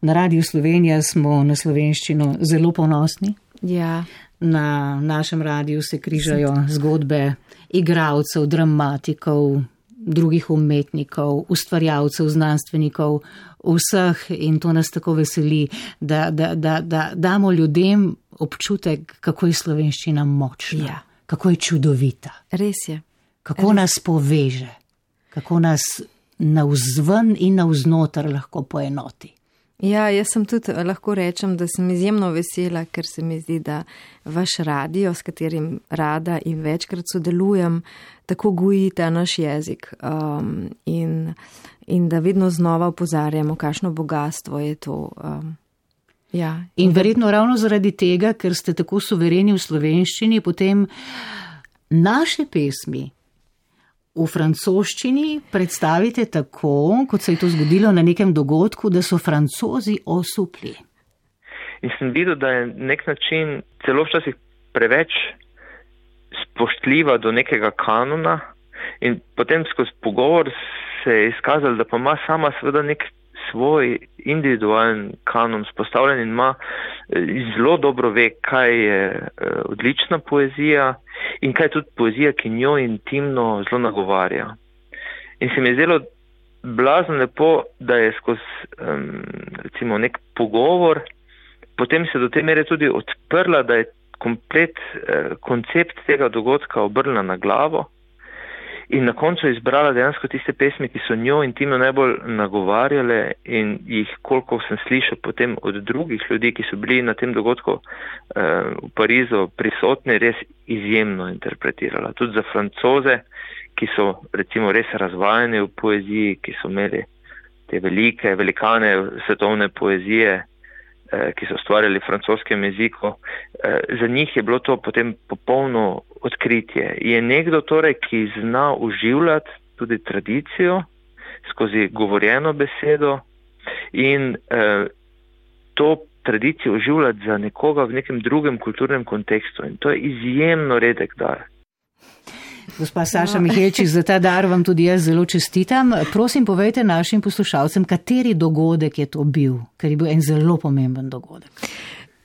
Na Radiu Slovenija smo na slovenščino zelo ponosni. Ja. Na našem radiju se križajo zgodbe igralcev, dramatikov, drugih umetnikov, ustvarjalcev, znanstvenikov, vseh, in to nas tako veseli, da, da, da, da damo ljudem občutek, kako je slovenščina močna, ja. Kako je čudovita. Res je. Kako Res. nas poveže, kako nas navzven in navznoter lahko poenoti. Ja, jaz sem tudi lahko rečem, da sem izjemno vesela, ker se mi zdi, da vaš radio, s katerim rada in večkrat sodelujem, tako goji ta naš jezik um, in, in da vedno znova opozarjamo, kakšno bogatstvo je to. Um, ja. In verjetno ravno zaradi tega, ker ste tako suvereni v slovenščini, potem naše pesmi v francoščini predstavite tako, kot se je to zgodilo na nekem dogodku, da so Francozi osupli. In sem videl, da je nek način celo včasih preveč spoštljiva do nekega kanona in potem skozi pogovor se je izkazalo, da pa ima sama seveda nek svoj individualen kanon spostavljen in ima zelo dobro ve, kaj je odlična poezija in kaj je tudi poezija, ki njo intimno zelo nagovarja. In se mi je zdelo blazno lepo, da je skozi um, recimo nek pogovor, potem se do te mere tudi odprla, da je komplet uh, koncept tega dogodka obrnila na glavo in na koncu izbrala dejansko tiste pesmi, ki so njo intimno najbolj nagovarjale in jih, koliko sem slišal potem od drugih ljudi, ki so bili na tem dogodku uh, v Parizu prisotni, res izjemno interpretirala. Tudi za Francoze, ki so recimo res razvajeni v poeziji, ki so imeli te velike, velikane svetovne poezije, uh, ki so ustvarjali v francoskem jeziku, uh, za njih je bilo to potem popolno odkritje. Je nekdo torej, ki zna uživljati tudi tradicijo skozi govorjeno besedo in eh, to tradicijo uživljati za nekoga v nekem drugem kulturnem kontekstu. In to je izjemno redek dar. Gospa Saša Mihelčič, za ta dar vam tudi jaz zelo čestitam. Prosim, povejte našim poslušalcem, kateri dogodek je to bil, ker je bil en zelo pomemben dogodek.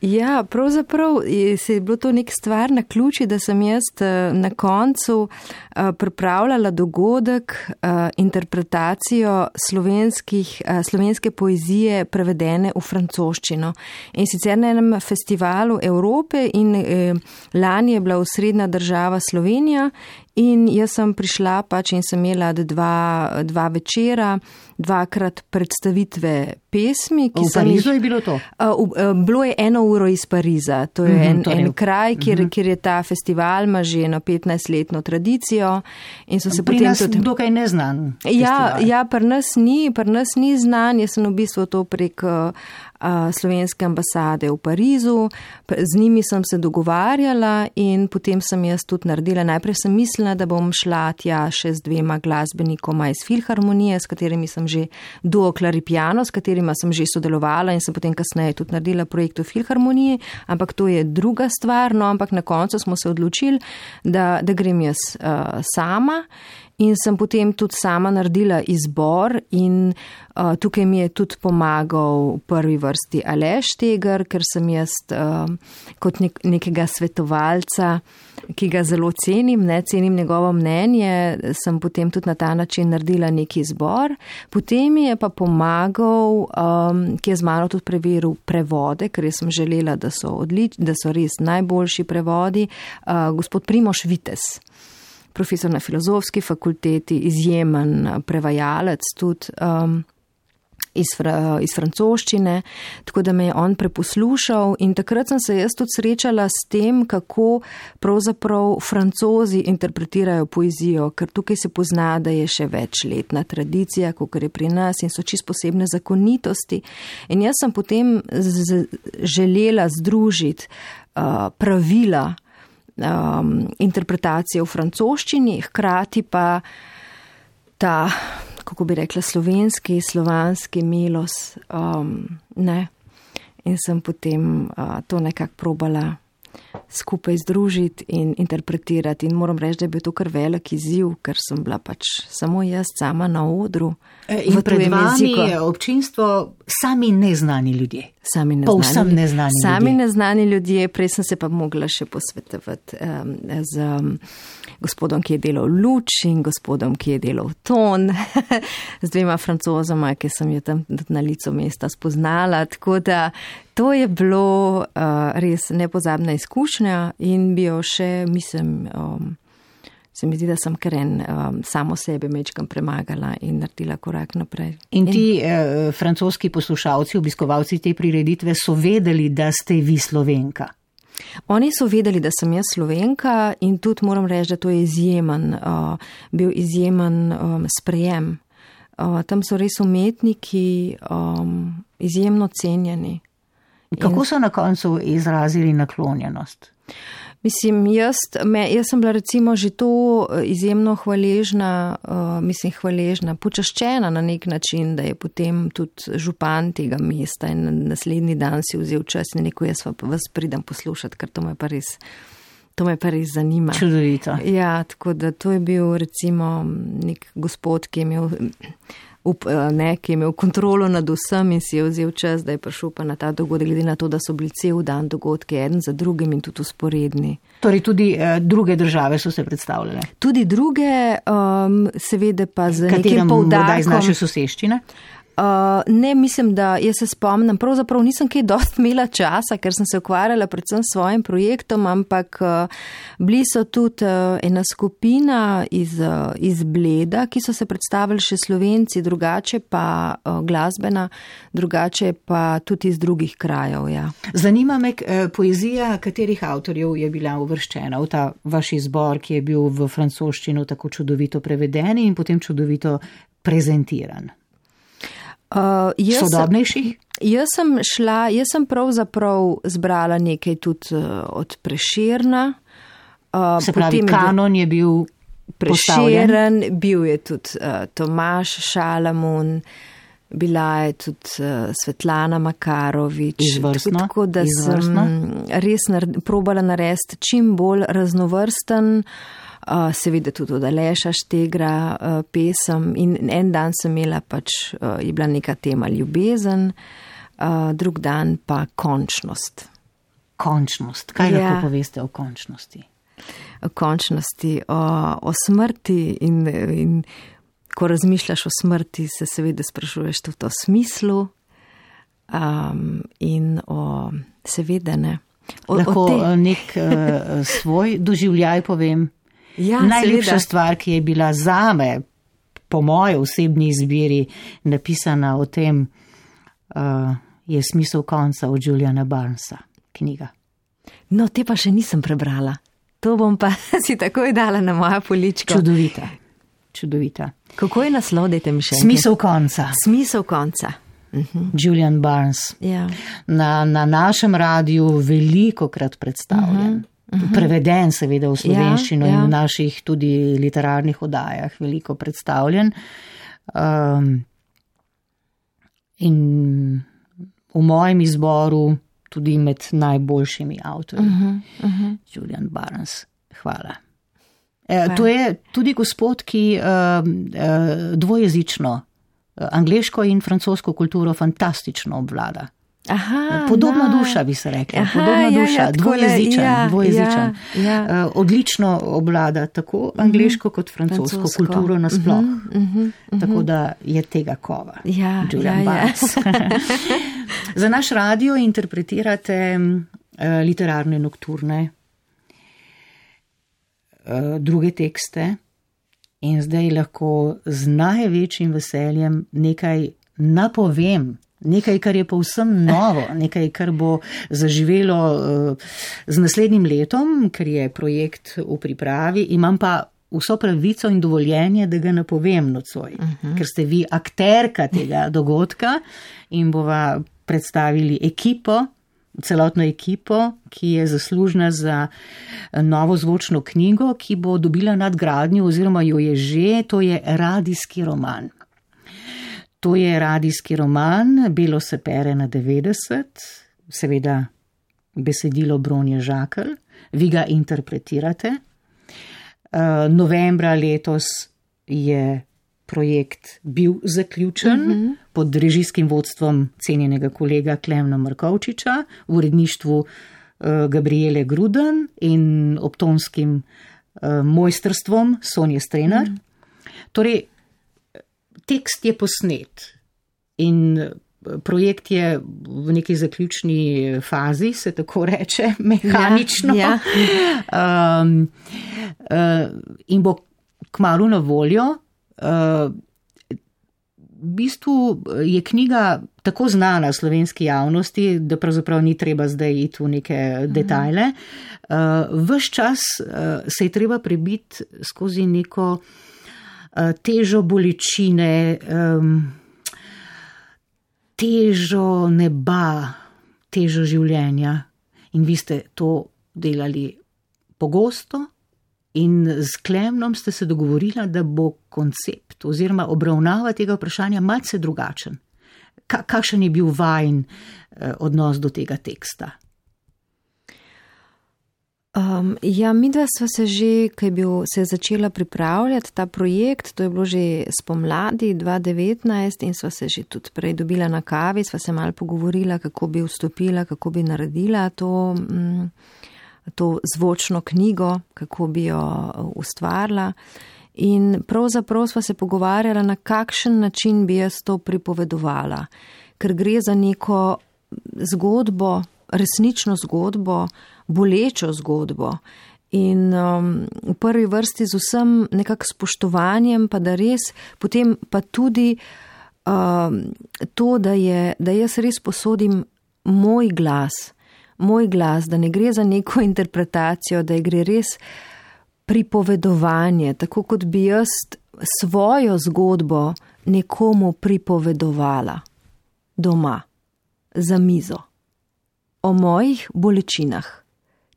Ja, pravzaprav se je bilo to nek stvar na ključi, da sem jaz na koncu pripravljala dogodek, interpretacijo slovenskih, slovenske poezije prevedene v francoščino. In sicer na enem festivalu Evrope in lani je bila osrednja država Slovenija in jaz sem prišla pač in sem imela dva, dva večera, dvakrat predstavitve pesmi. Ki v Parizu je bilo to? Bilo je eno uro iz Pariza. To je en, mm-hmm, en kraj, kjer, mm-hmm. kjer je ta festival, ima že eno petnajstletno tradicijo. In so se pri potem nas tudi dokaj neznan. Ja, ja, pri nas ni, pri nas ni znan. Jaz sem v bistvu to prek uh, slovenske ambasade v Parizu. Z njimi sem se dogovarjala in potem sem jaz tudi naredila. Najprej sem mislila mislila, da bom šla tja še z dvema glasbenikoma iz Filharmonije, s katerimi sem že duo claripiano, s katerima sem že sodelovala in sem potem kasneje tudi naredila projekt v Filharmoniji, ampak to je druga stvar, no, ampak na koncu smo se odločili, da, da grem jaz uh, sama. In sem potem tudi sama naredila izbor in uh, tukaj mi je tudi pomagal v prvi vrsti Aleš Teger, ker sem jaz uh, kot nek, nekega svetovalca, ki ga zelo cenim, ne cenim njegovo mnenje, sem potem tudi na ta način naredila neki izbor. Potem mi je pa pomagal, um, ki je z mano tudi preveril prevode, ker jaz sem želela, da so, odlič, da so res najboljši prevodi, uh, gospod Primož Vitez. Profesor na filozofski fakulteti, izjemen prevajalec tudi um, iz, fra, iz francoščine, tako da me je on preposlušal in takrat sem se jaz tudi srečala s tem, kako pravzaprav Francozi interpretirajo poezijo, ker tukaj se pozna, da je še večletna tradicija, kot je pri nas in so čisto posebne zakonitosti. In jaz sem potem z, želela združiti uh, pravila Um, interpretacije v francoščini, hkrati pa ta, kako bi rekla, slovenski, slovanski milos, um, ne. In sem potem uh, to nekako probala skupaj združiti in interpretirati. In moram reči, da je bil to kar velik izziv, ker sem bila pač samo jaz sama na odru. In pred vami je občinstvo sami neznani ljudje. Sami neznani, Povsem neznani sami ljudje. neznani ljudje. Prej sem se pa mogla še posvetovati um, z um, gospodom, ki je delal luč in gospodom, ki je delal ton, z dvema francozoma, ki sem jo tam na licu mesta spoznala. Tako da to je bilo uh, res nepozabna izkušnja in bi jo še, mislim, um, se mi zdi, da sem kar en um, samo sebe mečkam premagala in naredila korak naprej. In ti in... Eh, francoski poslušalci, obiskovalci te prireditve so vedeli, da ste vi Slovenka? Oni so vedeli, da sem jaz Slovenka in tudi moram reči, da to je izjemen, uh, bil izjemen um, sprejem. Uh, tam so res umetniki um, izjemno cenjeni. Kako so na koncu izrazili naklonjenost? Mislim, jaz, me, jaz sem bila recimo že to izjemno hvaležna, uh, mislim hvaležna, počaščena na nek način, da je potem tudi župan tega mesta in naslednji dan si vzel čas in rekel, jaz vas pridem poslušati, ker to me pa res, to me pa res zanima. Čudovito. Ja, tako da to je bil recimo nek gospod, ki je imel... Up, ne, ki je imel kontrolo nad vsem in si je vzel čas, da je prišel pa na ta dogodek, glede na to, da so bili cel dan dogodki eden za drugim in tudi usporedni. Torej tudi eh, druge države so se predstavljale? Tudi druge, um, seveda pa z Kateram nekim poudarkom. Kateram iz naše soseščine? Uh, ne, mislim, da jaz se spomnim, pravzaprav nisem kaj dost imela časa, ker sem se ukvarjala predvsem s svojim projektom, ampak uh, bili so tudi uh, ena skupina iz, uh, iz Bleda, ki so se predstavili še Slovenci, drugače pa uh, glasbena, drugače pa tudi iz drugih krajev. Ja. Zanima me uh, poezija, katerih avtorjev je bila uvrščena v ta vaš izbor, ki je bil v francoščino tako čudovito preveden in potem čudovito prezentiran. Uh, jaz Sodobnejših? Jaz sem šla, jaz sem pravzaprav zbrala nekaj tudi uh, od Prešerna. Uh, Se pravi, kanon je bil Prešeren, bil je tudi uh, Tomaž Šalamun, bila je tudi uh, Svetlana Makarovič. Izvrstno. Tako da Izvrstno. sem res nar- probala narediti čim bolj raznovrsten, Uh, seveda tudi od Aleša Štegra uh, pesem in en dan sem imela pač, uh, je bila neka tema ljubezen, uh, drug dan pa končnost. Končnost. Kaj Ja. lahko poveste o končnosti? O končnosti, o, o smrti in, in ko razmišljaš o smrti, se seveda sprašuješ tudi o smislu um, in o seveda ne. O, Lahko o te... nek uh, svoj doživljaj povem. Ja, Najlepša seveda. stvar, ki je bila zame, po moji osebni izbiri, napisana o tem, uh, je Smisel konca od Juliana Barnesa, knjiga. No, te pa še nisem prebrala. To bom pa si takoj dala na moja polička. Čudovita. Čudovita. Kako je naslov, dajte mi še enkrat? Smisel konca. Smisel konca. Uh-huh. Julian Barnes. Ja. Na, na našem radiju veliko krat predstavljen. Uh-huh. uh-huh. preveden seveda v slovenščino ja, ja. in v naših tudi literarnih oddajah veliko predstavljen. Um, in v mojem izboru tudi med najboljšimi avtorji. Uh-huh, uh-huh. Julian Barnes, hvala. E, to je tudi gospod, ki uh, uh, dvojezično, uh, angleško in francosko kulturo fantastično obvlada. Aha, Podobna no. duša, bi se rekla. Aha, Podobna ja, duša, ja, dvojezičen, ja, dvojezičen. Ja, ja. Uh, odlično obvlada tako angleško kot francosko, francosko. kulturo nasploh. Uh-huh, uh-huh, uh-huh. Tako da je tega kova. Ja, Julian ja, Barnes. Ja. Za naš radio interpretirate uh, literarne nokturne, uh, druge tekste in zdaj lahko z največjim veseljem nekaj napovem. Nekaj, kar je povsem novo, nekaj, kar bo zaživelo uh, z naslednjim letom, ker je projekt v pripravi. Imam pa vso pravico in dovoljenje, da ga napovem nocoj, uh-huh. ker ste vi akterka tega dogodka in bova predstavili ekipo, celotno ekipo, ki je zaslužna za novo zvočno knjigo, ki bo dobila nadgradnjo oziroma jo je že, to je radijski roman. To je radijski roman, Belo se pere na devetdeset, seveda besedilo Bronje Žakelj, vi ga interpretirate. Uh, novembra letos je projekt bil zaključen uh-huh. pod režijskim vodstvom cenjenega kolega Klemna Markovčiča, v uredništvu uh, Gabriele Gruden in obtonskim uh, mojstrstvom Sonje Strenar. Uh-huh. Torej, tekst je posnet in projekt je v neki zaključni fazi, se tako reče, mehanično. Ja, ja. Um, uh, in bo kmalu na voljo. Uh, v bistvu je knjiga tako znana slovenski javnosti, da pravzaprav ni treba zdaj iti v neke detajle. Uh, ves čas uh, se je treba prebiti skozi neko težo bolečine, um, težo neba, težo življenja. In vi ste to delali pogosto in z Klemnom ste se dogovorili, da bo koncept oziroma obravnava tega vprašanja malce drugačen. Ka- kakšen je bil vajin eh, odnos do tega teksta? Um, ja, midva sva se že, ko je bil, se je začela pripravljati ta projekt, to je bilo že spomladi dva devetnajst in sva se že tudi prej dobila na kavi, sva se malo pogovorila, kako bi vstopila, kako bi naredila to, mm, to zvočno knjigo, kako bi jo ustvarila. In pravzaprav sva se pogovarjala, na kakšen način bi jaz to pripovedovala, ker gre za neko zgodbo, resnično zgodbo, bolečo zgodbo in um, v prvi vrsti z vsem nekak spoštovanjem, pa da res, potem pa tudi um, to, da, je, da jaz res posodim moj glas, moj glas, da ne gre za neko interpretacijo, da gre res pripovedovanje, tako kot bi jaz svojo zgodbo nekomu pripovedovala doma, za mizo, o mojih bolečinah.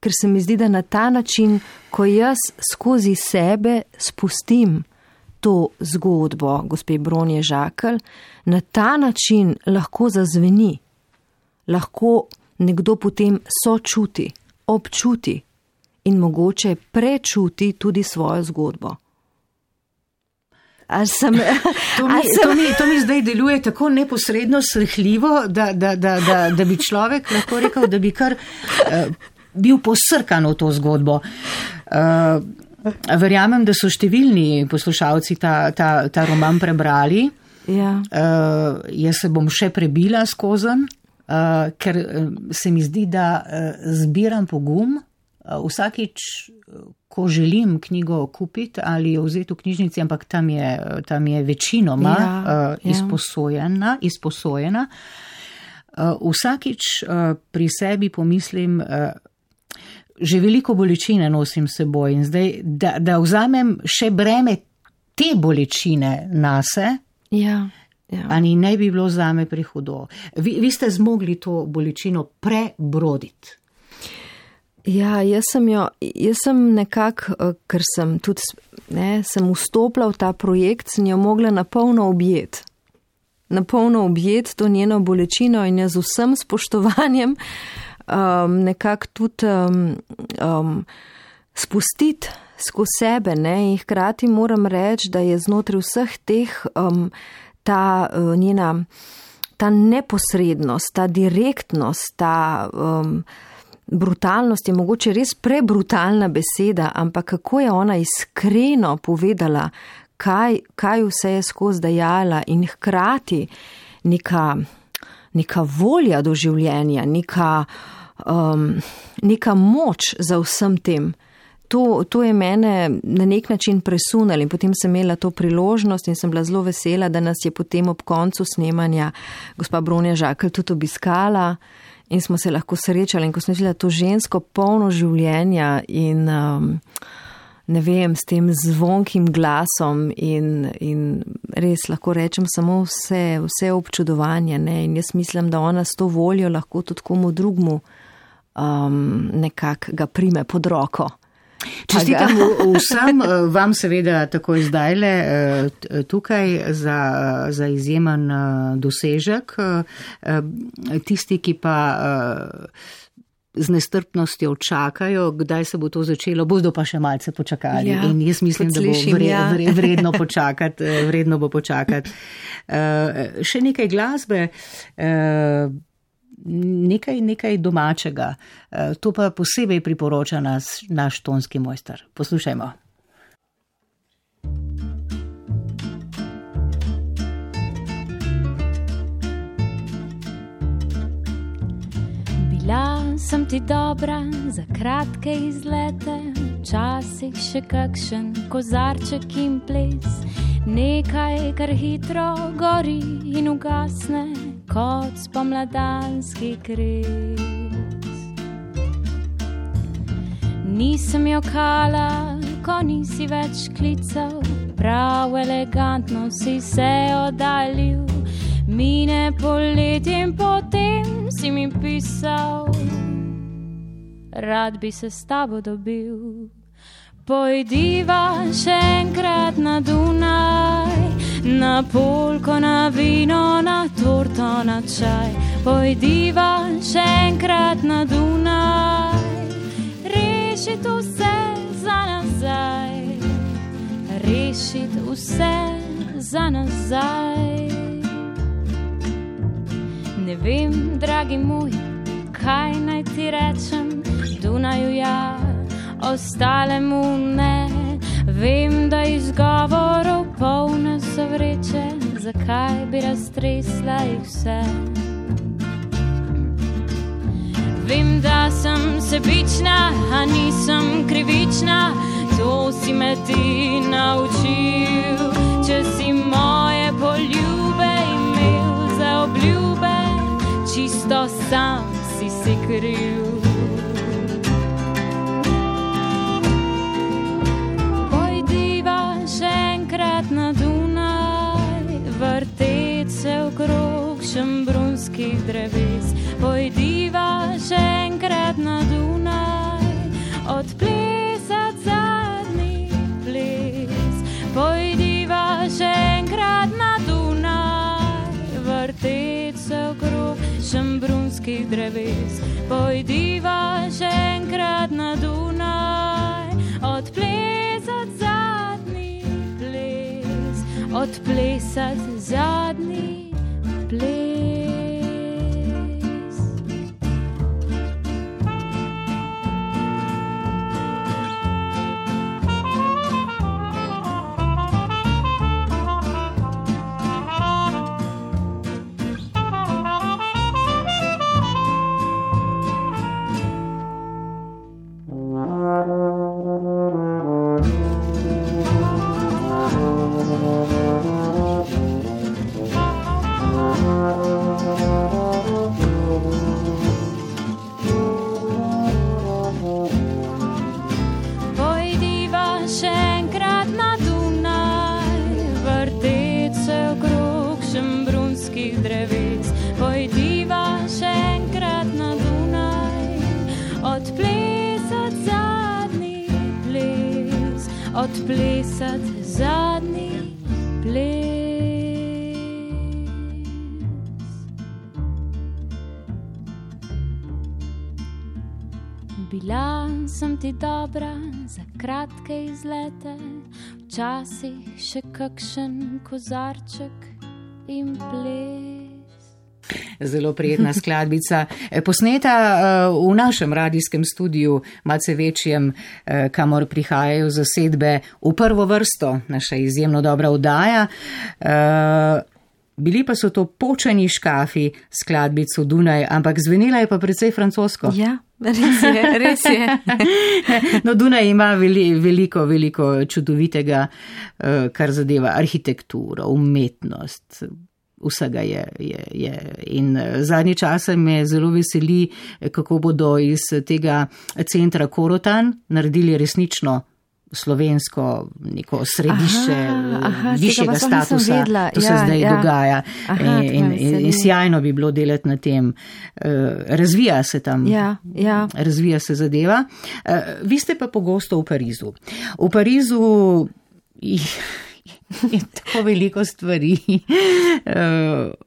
Ker se mi zdi, da na ta način, ko jaz skozi sebe spustim to zgodbo gospe Bronje Žakelj, na ta način lahko zazveni, lahko nekdo potem sočuti, občuti in mogoče prečuti tudi svojo zgodbo. Sem, to, mi, sem... to, mi, to mi zdaj deluje tako neposredno srhljivo, da, da, da, da, da bi človek lahko rekel, da bi kar uh, bil posrkan v to zgodbo. Uh, verjamem, da so številni poslušalci ta, ta, ta roman prebrali. Ja. Uh, jaz se bom še prebila skozen, uh, ker se mi zdi, da uh, zbiram pogum. Uh, vsakič, ko želim knjigo kupiti ali jo vzeti v knjižnici, ampak tam je, tam je večinoma ja, uh, izposojena, izposojena. Uh, vsakič uh, pri sebi pomislim, uh, že veliko bolečine nosim seboj in zdaj, da, da vzamem še breme te bolečine nase, ja, ja. ani ne bi bilo zame prehudo. Vi, vi ste zmogli to bolečino prebroditi. Ja, jaz sem jo, jaz sem nekako, ker sem tudi, ne, sem vstopila v ta projekt, sem jo mogla napolno objeti. Napolno objeti to njeno bolečino in jo z vsem spoštovanjem um, nekako tudi um, um, spustiti skozi sebe, ne, in hkrati moram reči, da je znotraj vseh teh um, ta uh, njena, ta neposrednost, ta direktnost, ta um, brutalnost je mogoče res prebrutalna beseda, ampak kako je ona iskreno povedala, kaj, kaj vse je skozi dajala in hkrati neka, neka volja do življenja, neka, um, neka moč za vsem tem. To, to je mene na nek način presunalo in potem sem imela to priložnost in sem bila zelo vesela, da nas je potem ob koncu snemanja gospa Bronja Žakelj tudi obiskala in smo se lahko srečali in ko sem videla to žensko polno življenja in um, ne vem, s tem zvonkim glasom in, in res lahko rečem samo vse, vse občudovanje, ne, in jaz mislim, da ona s to voljo lahko tudi komu drugmu um, nekako ga prime pod roko. Čestitam vsem, vam seveda takoj zdajle tukaj za, za izjemen dosežek. Tisti, ki pa z nestrpnostjo čakajo, kdaj se bo to začelo, bodo pa še malce počakali. Ja, in jaz mislim, da bo vre, vre, vredno počakati, vredno bo počakati. Še nekaj glasbe. Nekaj, nekaj domačega. To pa posebej priporoča nas, naš tonski mojster. Poslušajmo. Bila sem ti dobra za kratke izlete, včasih še kakšen kozarček in ples, nekaj, kar hitro gori in ugasne kot spomladanski kriz. Nisem jokala, ko nisi več klical, prav elegantno si se oddaljil, mine poletje in potem si mi pisal, rad bi se s tabo dobil. Pojdiva še enkrat na Dunaj, na polko, na vino, na torto, na čaj. Pojdiva še enkrat na Dunaj, rešit vse za nazaj, rešit vse za nazaj. Ne vem, dragi moj, kaj naj ti rečem, Dunaju ja, ostalemu ne. Vem, da izgovorov polne so vreče, zakaj bi raztresla jih vse. Vem, da sem sebična, a nisem krivična, to si me ti naučil. Če si moje poljube imel za obljube, čisto sam si si kriv. Na Dunaj, vrtet se okrog šembrunskih dreves. Pojdiva še enkrat na Dunaj, odplesat zadnji ples. Pojdiva še enkrat na Dunaj, vrtet se okrog šembrunskih dreves. Pojdiva še enkrat na Dunaj, odplesat zadnji ples. Odplesat zadnji ples. Pojdiva še enkrat na Dunaj, odplesat odplesati zadnji ples. Bila sem ti dobra za kratke izlete, včasih še kakšen kozarček in ples. Zelo prijetna skladbica, posneta v našem radijskem studiu, malce večjem, kamor prihajajo zasedbe v prvo vrsto, naša izjemno dobra oddaja. Bili pa so to Počeni škafi, skladbico Dunaj, ampak zvenela je pa precej francosko. Ja, res je, res je. No, Dunaj ima veli, veliko, veliko čudovitega, kar zadeva arhitekturo, umetnost. Vsega je, je, je. In zadnji čase me zelo veseli, kako bodo iz tega centra Korotan naredili resnično slovensko neko središče aha, aha, višjega statusa. To se ja, zdaj ja. dogaja. Aha, in, in, in sjajno bi bilo delati na tem. Razvija se tam, ja, ja. razvija se zadeva. Vi ste pa pogosto v Parizu. V Parizu je tako veliko stvari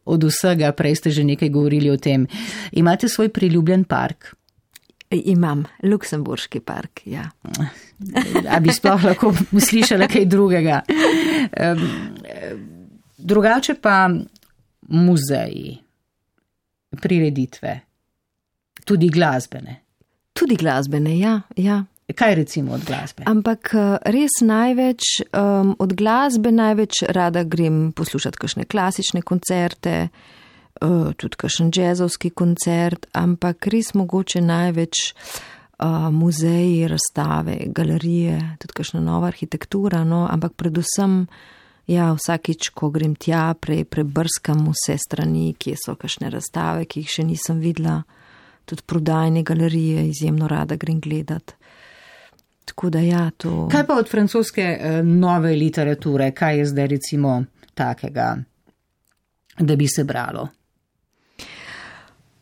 od vsega, prej ste že nekaj govorili o tem. Imate svoj priljubljen park? Imam, Luksemburški park, ja. A bi sploh lahko slišala kaj drugega. Drugače pa muzeji, prireditve, tudi glasbene. Tudi glasbene, ja, ja. Kaj recimo od glasbe? Ampak res največ, um, od glasbe največ rada grem poslušati kakšne klasične koncerte, uh, tudi kakšen džezovski koncert, ampak res mogoče največ uh, muzeji, razstave, galerije, tudi kakšna nova arhitektura, no, ampak predvsem, ja, vsakič, ko grem tja, prej prebrskam vse strani, kje so kakšne razstave, ki jih še nisem videla, tudi prodajne galerije, izjemno rada grem gledati. Tako da ja, to... Kaj pa od francoske nove literature? Kaj je zdaj recimo takega, da bi se bralo?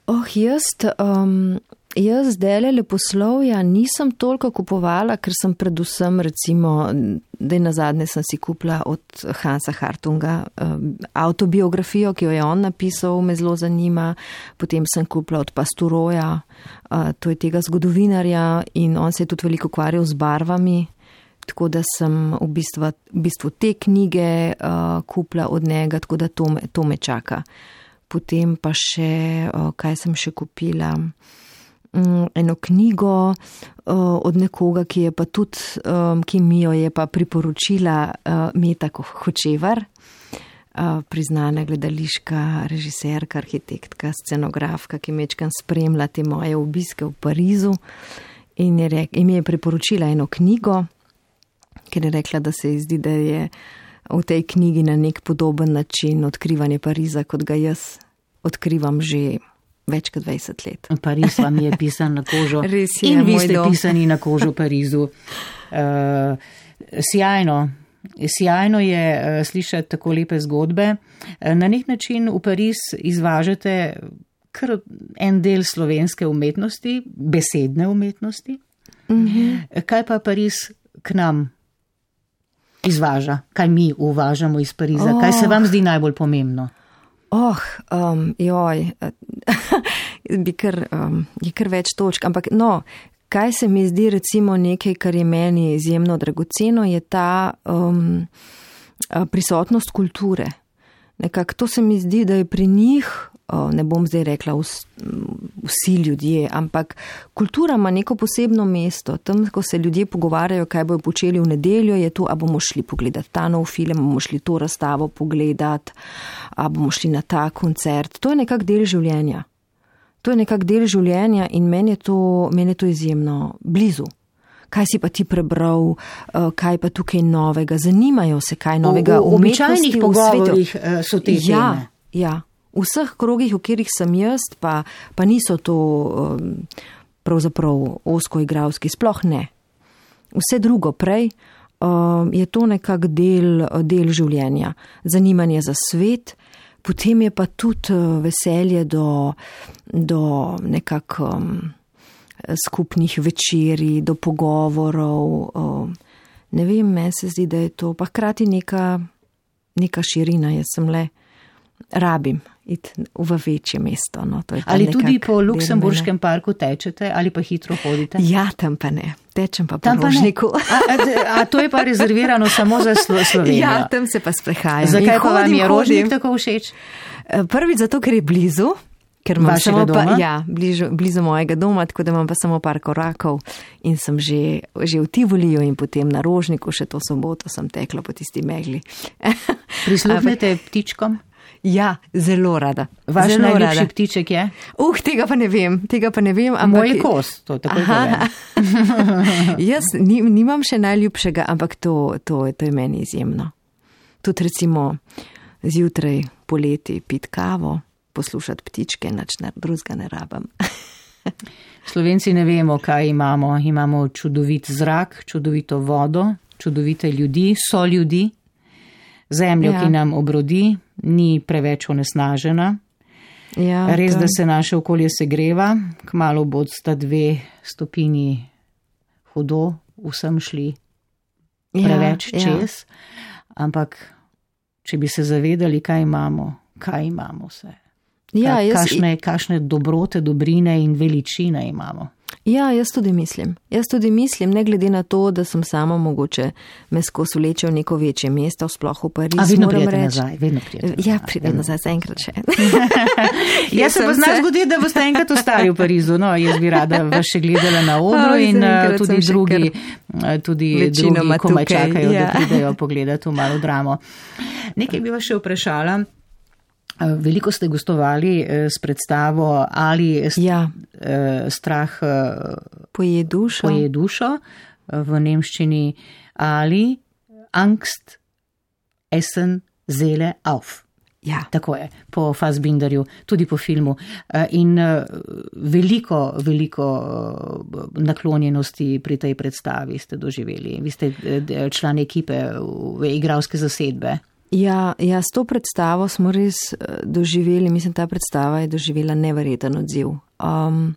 Oh, jaz, um, jaz zdaj leposlovja nisem toliko kupovala, ker sem predvsem recimo, da na zadnje sem si kupila od Hansa Hartunga um, autobiografijo, ki jo je on napisal, me zelo zanima. Potem sem kupila od Pasturoja, uh, to je tega zgodovinarja in on se je tudi veliko ukvarjal z barvami, tako da sem v bistvu, v bistvu te knjige uh, kupila od njega, tako da to me, to me čaka. Potem pa še, kaj sem še kupila, eno knjigo od nekoga, ki je pa tudi, ki mi jo je pa priporočila Meta Hočevar, priznana gledališka režiserka, arhitektka, scenografka, ki mečkam spremlja te moje obiske v Parizu in, je rek, in mi je priporočila eno knjigo, ker je rekla, da se ji zdi, da je v tej knjigi na nek podoben način odkrivanje Pariza, kot ga jaz odkrivam že več kot dvajset let. Pariz vam je pisan na kožo. Res je, in vi ste dom. pisani na kožo Parizu. Uh, sjajno. Sjajno je uh, slišati tako lepe zgodbe. Uh, na nek način v Pariz izvažate kar en del slovenske umetnosti, besedne umetnosti. Mm-hmm. Kaj pa Pariz k nam izvaža? Kaj mi uvažamo iz Pariza? Oh. Kaj se vam zdi najbolj pomembno? Oh, um, joj, bi kar, um, je kar več točk, ampak no, kaj se mi zdi recimo nekaj, kar je meni izjemno dragoceno, je ta um, prisotnost kulture. Nekako to se mi zdi, da je pri njih, ne bom zdaj rekla vsi ljudje, ampak kultura ima neko posebno mesto. Tam, ko se ljudje pogovarjajo, kaj bojo počeli v nedeljo, je to, a bomo šli pogledati ta nov film, a bomo šli to razstavo pogledati, a bomo šli na ta koncert. To je nekak del življenja. To je nekak del življenja in meni je to, meni je to izjemno blizu. Kaj si pa ti prebral, kaj pa tukaj novega, zanimajo se kaj novega v umetnosti, v pogovorih so te teme. Ja, ja. V vseh krogih, v katerih sem jaz, pa, pa niso to um, pravzaprav oskoigralski, sploh ne. Vse drugo prej um, je to nekak del, del življenja. Zanimanje za svet, potem je pa tudi veselje do, do nekak um, skupnih večerij, do pogovorov, um, ne vem, meni se zdi, da je to pa hkrati neka, neka širina, jaz sem le rabim iti v večje mesto. No, to je ali tudi po Luksemburškem parku tečete ali pa hitro hodite? Ja, tam pa ne. Tečem pa po Rožniku. A, a, a to je pa rezervirano samo za Slovenijo? Ja, tam se pa sprehajam. Zakaj pa vam je Rožnik tako všeč? Prvič zato, ker je blizu. Ker imam samo pa, ja, bližu, blizu mojega doma, tako da imam pa samo par korakov in sem že, že v Tivoliju in potem na Rožniku, še to soboto sem tekla po tisti megli. Prisluhnete ptičkom? Ja, zelo rada. Vaš zelo najljubši rada. Ptiček je? Uh, tega pa ne vem, tega pa ne vem. Ampak... Moj kos, to tako povem. Jaz nimam še najljubšega, ampak to, to, to je meni izjemno. Tudi recimo zjutraj poleti pit kavo, poslušati ptičke, nič drugega ne rabam. Slovenci ne vemo, kaj imamo. Imamo čudovit zrak, čudovito vodo, čudovite ljudi, so ljudi, zemljo, ja. Ki nam obrodi, ni preveč onesnažena. Ja, res, to... da se naše okolje segreva, kmalu bo sta dve stopini hudo, vsem šli preveč ja, čez, ja. Ampak če bi se zavedali, kaj imamo, kaj imamo vse. Ja, jaz... Kašne, kašne dobrote, dobrine in veličine imamo. Ja, jaz tudi mislim. Jaz tudi mislim, ne glede na to, da sem sama mogoče me skozi vleče v neko večje mesto, sploh v Pariz. A vedno prijete nazaj, vedno prijete nazaj. Ja, pridem nazaj, zaenkrat še. Jaz se pa zna zgoditi, da boste enkrat ostali v Parizu. No, jaz bi rada vas še gledala na odru in tudi drugi, tudi drugi komaj čakajo, ja. Da pridejo pogledati v malo dramo. Nekaj bi vas še vprašala. Veliko ste gostovali s predstavo Ali ja. strah poje dušo. poje dušo v nemščini Ali Angst essen Seele auf. Ja. Tako je, po Fassbinderju, tudi po filmu. In veliko, veliko naklonjenosti pri tej predstavi ste doživeli. Vi ste član ekipe igralske zasedbe. Ja, ja, s to predstavo smo res doživeli, mislim, ta predstava je doživela neverjeten odziv. Um,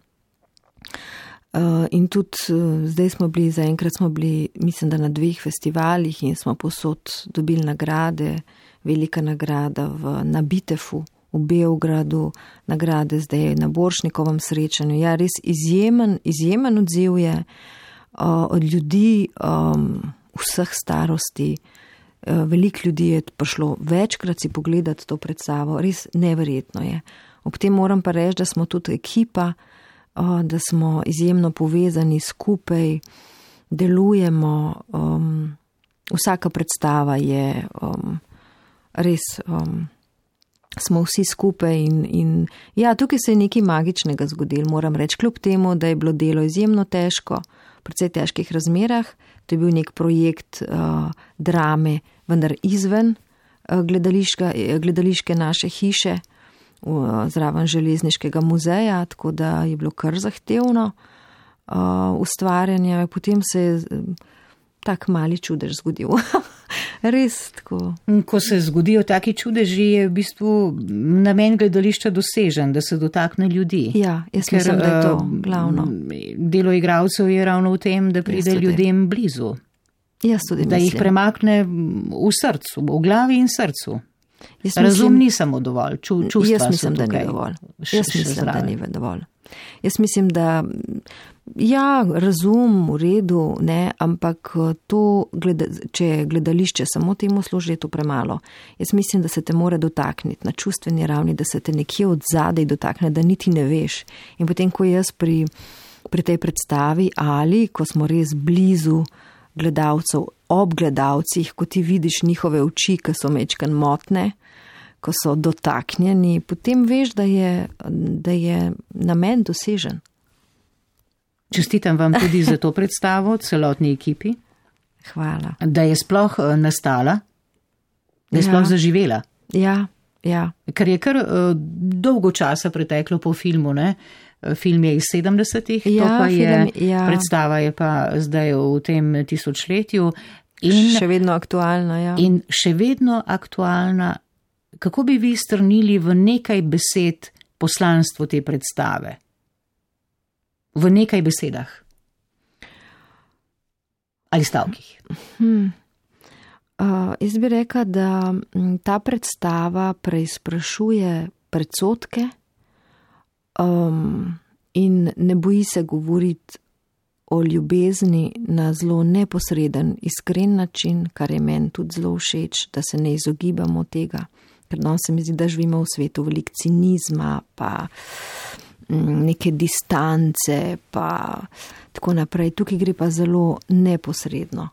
uh, in tudi uh, zdaj smo bili, zaenkrat smo bili, mislim, da na dveh festivalih in smo posod dobili nagrade, velika nagrada v, na Bitefu v Beogradu, nagrade zdaj na Borštnikovem srečanju. Ja, res izjemen, izjemen odziv je uh, od ljudi um, vseh starosti. Veliko ljudi je prišlo večkrat si pogledati to predstavo, res neverjetno je. Ob tem moram pa reči, da smo tudi ekipa, da smo izjemno povezani skupaj, delujemo, um, vsaka predstava je um, res, um, smo vsi skupaj in, in ja, tukaj se je nekaj magičnega zgodilo, moram reči, kljub temu, da je bilo delo izjemno težko, v precej težkih razmerah. To je bil nek projekt uh, drame, vendar izven uh, gledališke naše hiše, uh, zraven železniškega muzeja, tako da je bilo kar zahtevno uh, ustvarjanje. Potem se je uh, tak mali čudež zgodil. Res tako. Ko se zgodijo taki čudeži, je v bistvu namen gledališča dosežen, da se dotakne ljudi. Ja, jaz Ker, mislim, da je to glavno. Delo igralcev je ravno v tem, da pride ljudem blizu. Jaz tudi da mislim. Jih premakne v srcu, v glavi in srcu. Jaz Razum mislim, ni samo dovolj, ču, čustva jaz mislim, so tukaj. Da ni dovolj. Jaz še, mislim, še da ni dovolj. Jaz mislim, da ja, razum v redu, ne, ampak to, gleda, če gledališče samo temu služi, je to premalo. Jaz mislim, da se te mora dotakniti na čustveni ravni, da se te nekje od zadaj dotakne, da niti ne veš. In potem, ko jaz pri, pri tej predstavi Ali, ko smo res blizu gledalcev, ob gledalcih, ko ti vidiš njihove oči, ki so mečkan motne, ko so dotaknjeni, potem veš, da je, da je namen dosežen. Čestitam vam tudi za to predstavo, celotni ekipi. Hvala. Da je sploh nastala, da je ja. sploh zaživela. Ja, ja. Ker je kar uh, dolgo časa preteklo po filmu, ne? Film je iz sedemdesetih, ja, to pa je, film, ja. predstava je pa zdaj v tem tisočletju. In še vedno aktualna, ja. In še vedno aktualna. Kako bi vi strnili v nekaj besed poslanstvo te predstave? V nekaj besedah. Ali stavkih? Hmm. Uh, jaz bi rekla, da ta predstava preizprašuje predsodke um, in ne boji se govoriti o ljubezni na zelo neposreden, iskren način, kar je meni tudi zelo všeč, da se ne izogibamo tega, ker nam se mi zdi, da živimo v svetu veliko cinizma, pa neke distance, pa tako naprej. Tukaj gre pa zelo neposredno.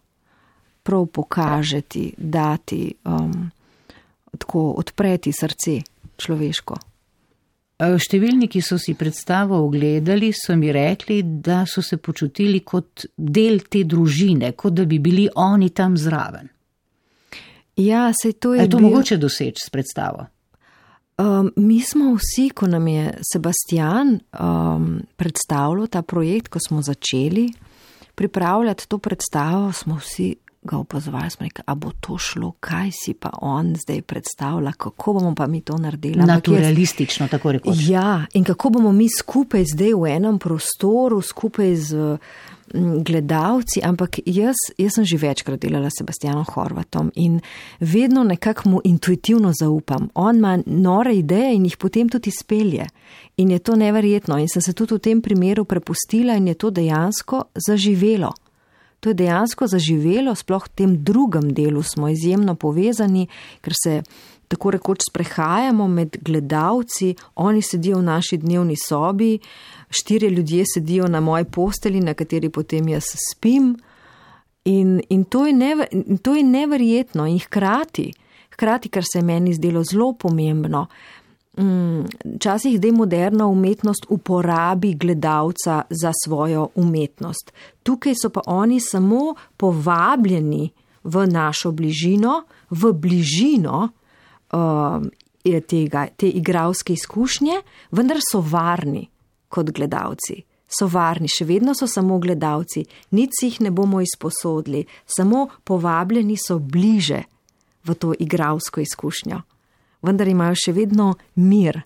Prav pokažeti, dati, um, tako odpreti srce človeško. Številni, ki so si predstavo ogledali, so mi rekli, da so se počutili kot del te družine, kot da bi bili oni tam zraven. Ja, sej to je. Je to bil... mogoče doseči s predstavo? Um, mi smo vsi, ko nam je Sebastian um, predstavljal ta projekt, ko smo začeli pripravljati to predstavo, smo vsi ga opazovali, smo rekli, a bo to šlo, kaj si pa on zdaj predstavlja, kako bomo pa mi to naredili. Naturalistično, tako rekoč. Ja, in kako bomo mi skupaj zdaj v enem prostoru, skupaj z gledalci, ampak jaz, jaz sem že večkrat delala s Sebastianom Horvatom in vedno nekako mu intuitivno zaupam. On ima nore ideje in jih potem tudi izpelje. In je to neverjetno. In sem se tudi v tem primeru prepustila in je to dejansko zaživelo. To je dejansko zaživelo, sploh v tem drugem delu smo izjemno povezani, ker se tako rekoč sprehajamo med gledalci, oni sedijo v naši dnevni sobi, štirje ljudje sedijo na moji posteli, na kateri potem jaz spim in, in, to, je never, in to je neverjetno in hkrati, hkrati, kar se je meni zdelo zelo pomembno, včasih zdaj moderna umetnost uporabi gledalca za svojo umetnost. Tukaj so pa oni samo povabljeni v našo bližino, v bližino uh, tega, te igralske izkušnje, vendar so varni kot gledalci. So varni, še vedno so samo gledalci, nič si jih ne bomo izposodili, samo povabljeni so bliže v to igralsko izkušnjo. Vendar imajo še vedno mir.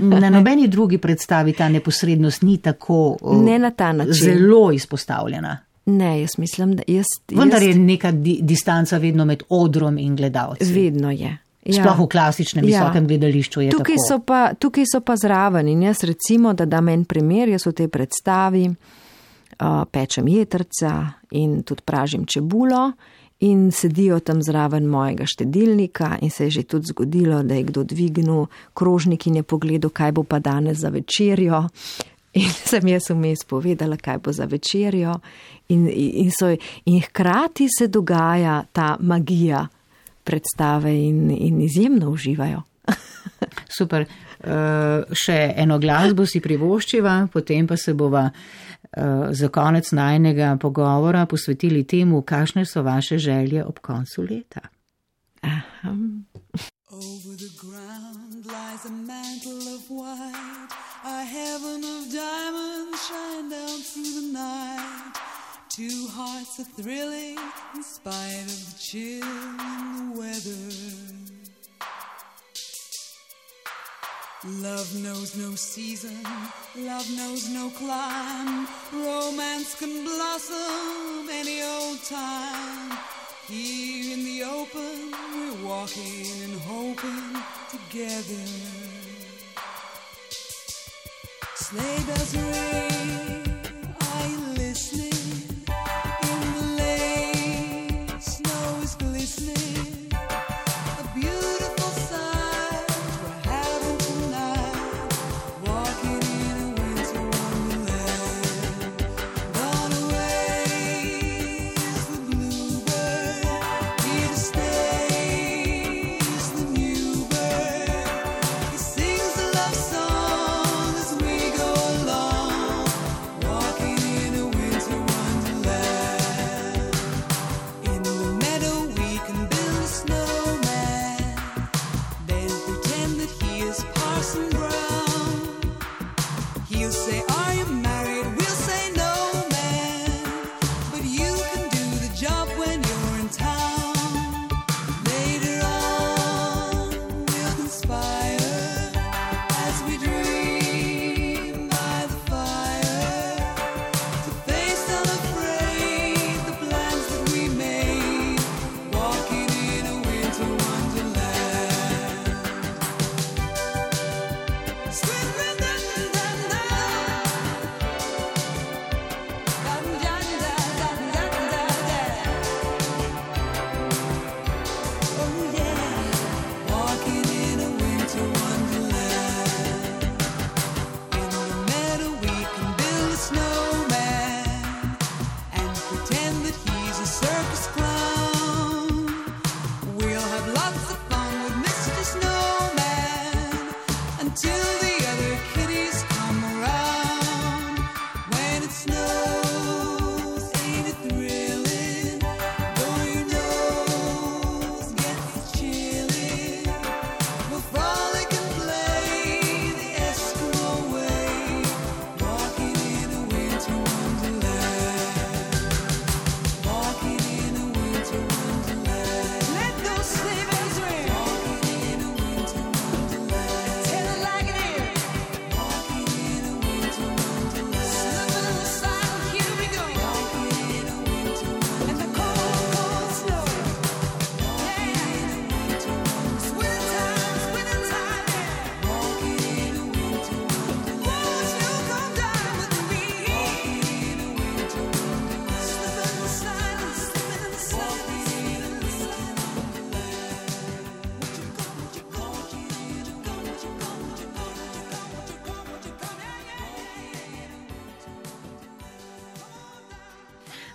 Na nobeni drugi predstavi ta neposrednost ni tako ne na ta način. Zelo izpostavljena. Ne, jaz mislim, da jaz... Vendar jaz... je neka di- distanca vedno med odrom in gledalci. Vedno je. Ja. Sploh v klasičnem Ja. visokem gledališču je Tukaj tako. so, pa, tukaj so pa zraven in jaz recimo, da dam en primer, jaz v tej predstavi uh, pečem jetrca in tudi pražim čebulo in sedijo tam zraven mojega štedilnika in se je že tudi zgodilo, da je kdo dvignil krožnik in je pogledal, kaj bo pa danes za večerjo. In sem jaz vmes povedala, kaj bo za večerjo in, in, so, in hkrati se dogaja ta magija predstave in, in izjemno uživajo. Super. Uh, še eno glasbo si privoščiva, potem pa se bova uh, za konec najnega pogovora posvetili temu, kakšne so vaše želje ob koncu leta. Aha. Over the ground lies a mantle of white, a heaven of diamonds shine down through the night. Two hearts are thrilling in spite of the chill in the weather. Love knows no season, love knows no clime, romance can blossom any old time. Here in the open, we're walking and hoping together. Sleigh bells ring, are you listening? In the lane, snow is glistening. A beautiful sight we're having tonight, walking in a winter wonderland. Gone away is the bluebird, here to stay is the new bird. He sings a love song as we go along.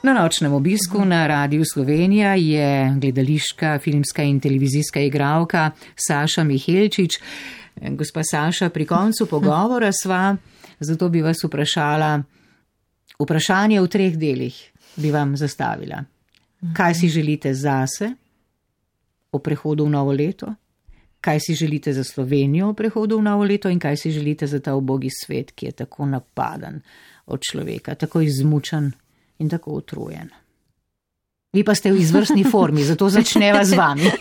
Na nočnem obisku na Radiu Slovenija je gledališka, filmska in televizijska igralka Saša Mihelčič. Gospa Saša, pri koncu pogovora sva, zato bi vas vprašala, vprašanje v treh delih bi vam zastavila. Kaj si želite zase o prehodu v novo leto? Kaj si želite za Slovenijo o prehodu v novo leto in kaj si želite za ta ubogi svet, ki je tako napadan od človeka, tako izmučen in tako utrujen. Vi pa ste v izvrstni formi, zato začneva z vami.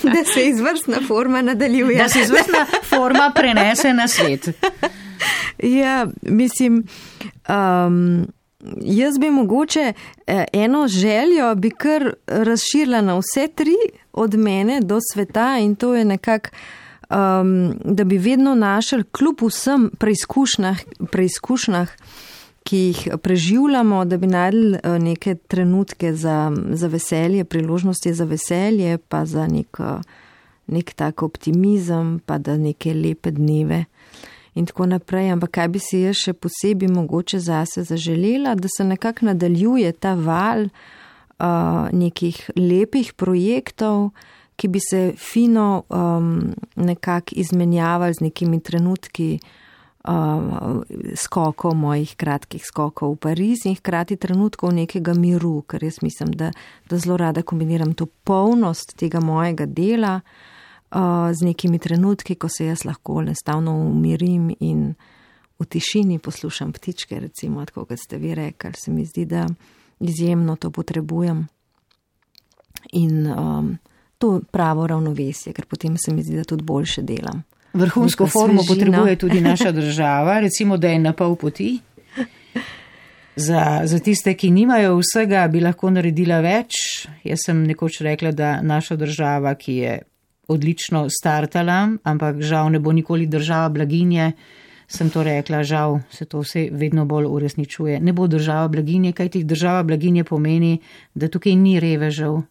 Da se izvrstna forma nadaljuje. Da se izvrstna forma prenese na svet. Ja, mislim, um, jaz bi mogoče eno željo bi kar razširila na vse tri, od mene do sveta, in to je nekako, um, da bi vedno našli kljub vsem preizkušnjah, preizkušnjah, ki jih preživljamo, da bi najdli neke trenutke za, za veselje, priložnosti za veselje, pa za nek, nek tak optimizem, pa da neke lepe dneve in tako naprej. Ampak kaj bi si jaz še posebej mogoče zase zaželela, da se nekako nadaljuje ta val uh, nekih lepih projektov, ki bi se fino um, nekako izmenjavali z nekimi trenutki uh, skokov, mojih kratkih skokov v Pariz in hkrati trenutkov nekega miru, ker jaz mislim, da, da zelo rada kombiniram to polnost tega mojega dela uh, z nekimi trenutki, ko se jaz lahko enostavno umirim in v tišini poslušam ptičke, recimo, tako kot ste vi rekli, se mi zdi, da izjemno to potrebujem. In um, to pravo ravnovesje, ker potem se mi zdi, da tudi boljše delam. Vrhunsko formo potrebuje tudi naša država, recimo, da je na pol poti. Za, za tiste, ki nimajo vsega, bi lahko naredila več. Jaz sem nekoč rekla, da naša država, ki je odlično startala, ampak žal ne bo nikoli država blaginje, sem to rekla, žal se to vse vedno bolj uresničuje. Ne bo država blaginje, kajti država blaginje pomeni, da tukaj ni revežev,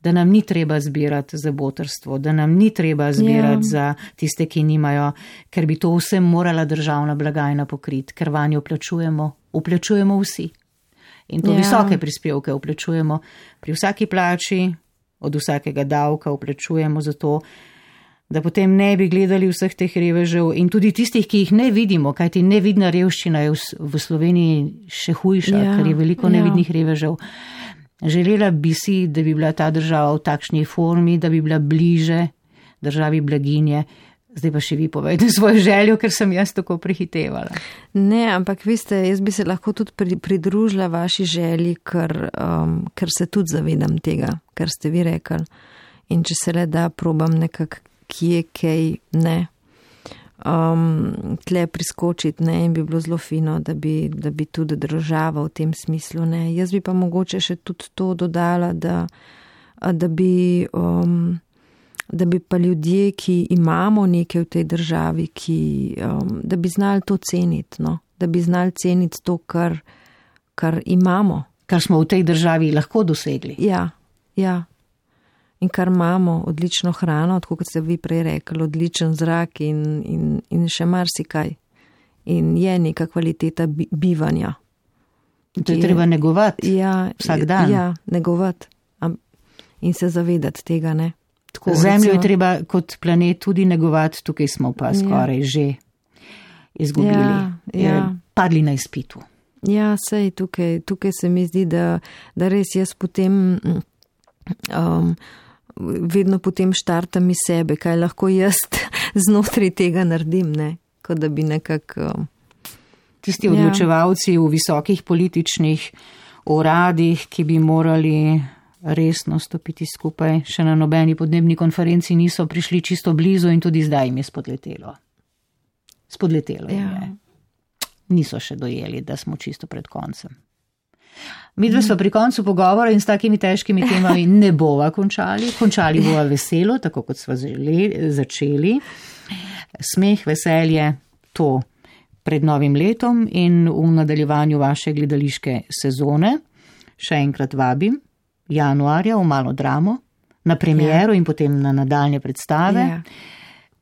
da nam ni treba zbirati za botrstvo, da nam ni treba zbirati ja. za tiste, ki nimajo, ker bi to vse morala državna blagajna pokriti, ker vanjo vplačujemo, vplačujemo vsi. In to ja. visoke prispevke vplačujemo pri vsaki plači, od vsakega davka vplačujemo za to, da potem ne bi gledali vseh teh revežev in tudi tistih, ki jih ne vidimo, kajti nevidna revščina je v Sloveniji še hujša, ja. ker je veliko nevidnih ja. revežev. Želela bi si, da bi bila ta država v takšni formi, da bi bila bliže državi blaginje. Zdaj pa še vi povejte svojo željo, ker sem jaz tako prehitevala. Ne, ampak veste, jaz bi se lahko tudi pridružila vaši želji, ker, um, ker se tudi zavedam tega, kar ste vi rekli. In če se le da, probam nekako kje, kaj, ne. Um, tle priskočiti, ne, in bi bilo zelo fino, da bi, da bi tudi država v tem smislu, ne. Jaz bi pa mogoče še tudi to dodala, da, da bi, um, da bi pa ljudje, ki imamo nekaj v tej državi, ki, um, da bi znali to ceniti, no, da bi znali ceniti to, kar, kar imamo. Kar smo v tej državi lahko dosegli. Ja, ja. In kar imamo, odlično hrano, tako kot ste vi prej rekli, odličen zrak in, in, in še marsikaj. In je neka kvaliteta bivanja. To je, je treba negovati ja, vsak dan. Ja, negovati. In se zavedati tega, ne. Tako, Zemljo recimo, je treba kot planet tudi negovati, tukaj smo pa skoraj ja. že izgubili. Ja, ja. Padli na izpitu. Ja, sej, tukaj, tukaj se mi zdi, da, da res jaz potem... Um, vedno potem štartam iz sebe, kaj lahko jaz znotraj tega naredim, ne, kot da bi nekako... Tisti odločevalci ja. v visokih političnih uradih, ki bi morali resno stopiti skupaj, še na nobeni podnebni konferenci niso prišli čisto blizu in tudi zdaj jim je spodletelo. Spodletelo ja. jim je. Niso še dojeli, da smo čisto pred koncem. Mi dve smo pri koncu pogovora in s takimi težkimi temami ne bova končali. Končali bova veselo, tako kot smo začeli. Smeh, veselje, to pred novim letom in v nadaljevanju vaše gledališke sezone. Še enkrat vabim januarja v Malo dramo, na premiero ja. in potem na nadaljne predstave. Ja.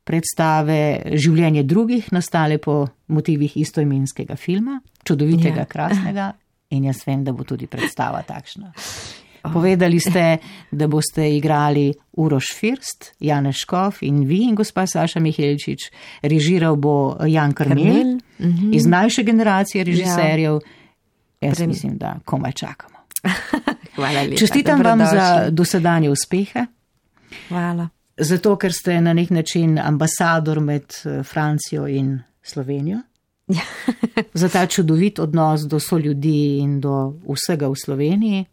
Predstave Življenje drugih, nastale po motivih istoimenskega filma, čudovitega, ja. krasnega. in jaz vem, da bo tudi predstava takšna. Povedali ste, da boste igrali Uroš First, Janez Škof in vi in gospa Saša Mihelčič. Režiral bo Jan Karmel, uh-huh. iz mlajše generacije režiserjev. Ja. Jaz Prem... mislim, da komaj čakamo. Hvala lepa. Čestitam vam za dosedanje uspehe. Hvala. Zato, ker ste na nek način ambasador med Francijo in Slovenijo. Za ta čudovit odnos do soljudi in do vsega v Sloveniji.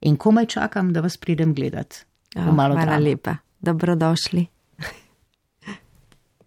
In komaj čakam, da vas pridem gledat. Oh, hvala lepa. Dobrodošli.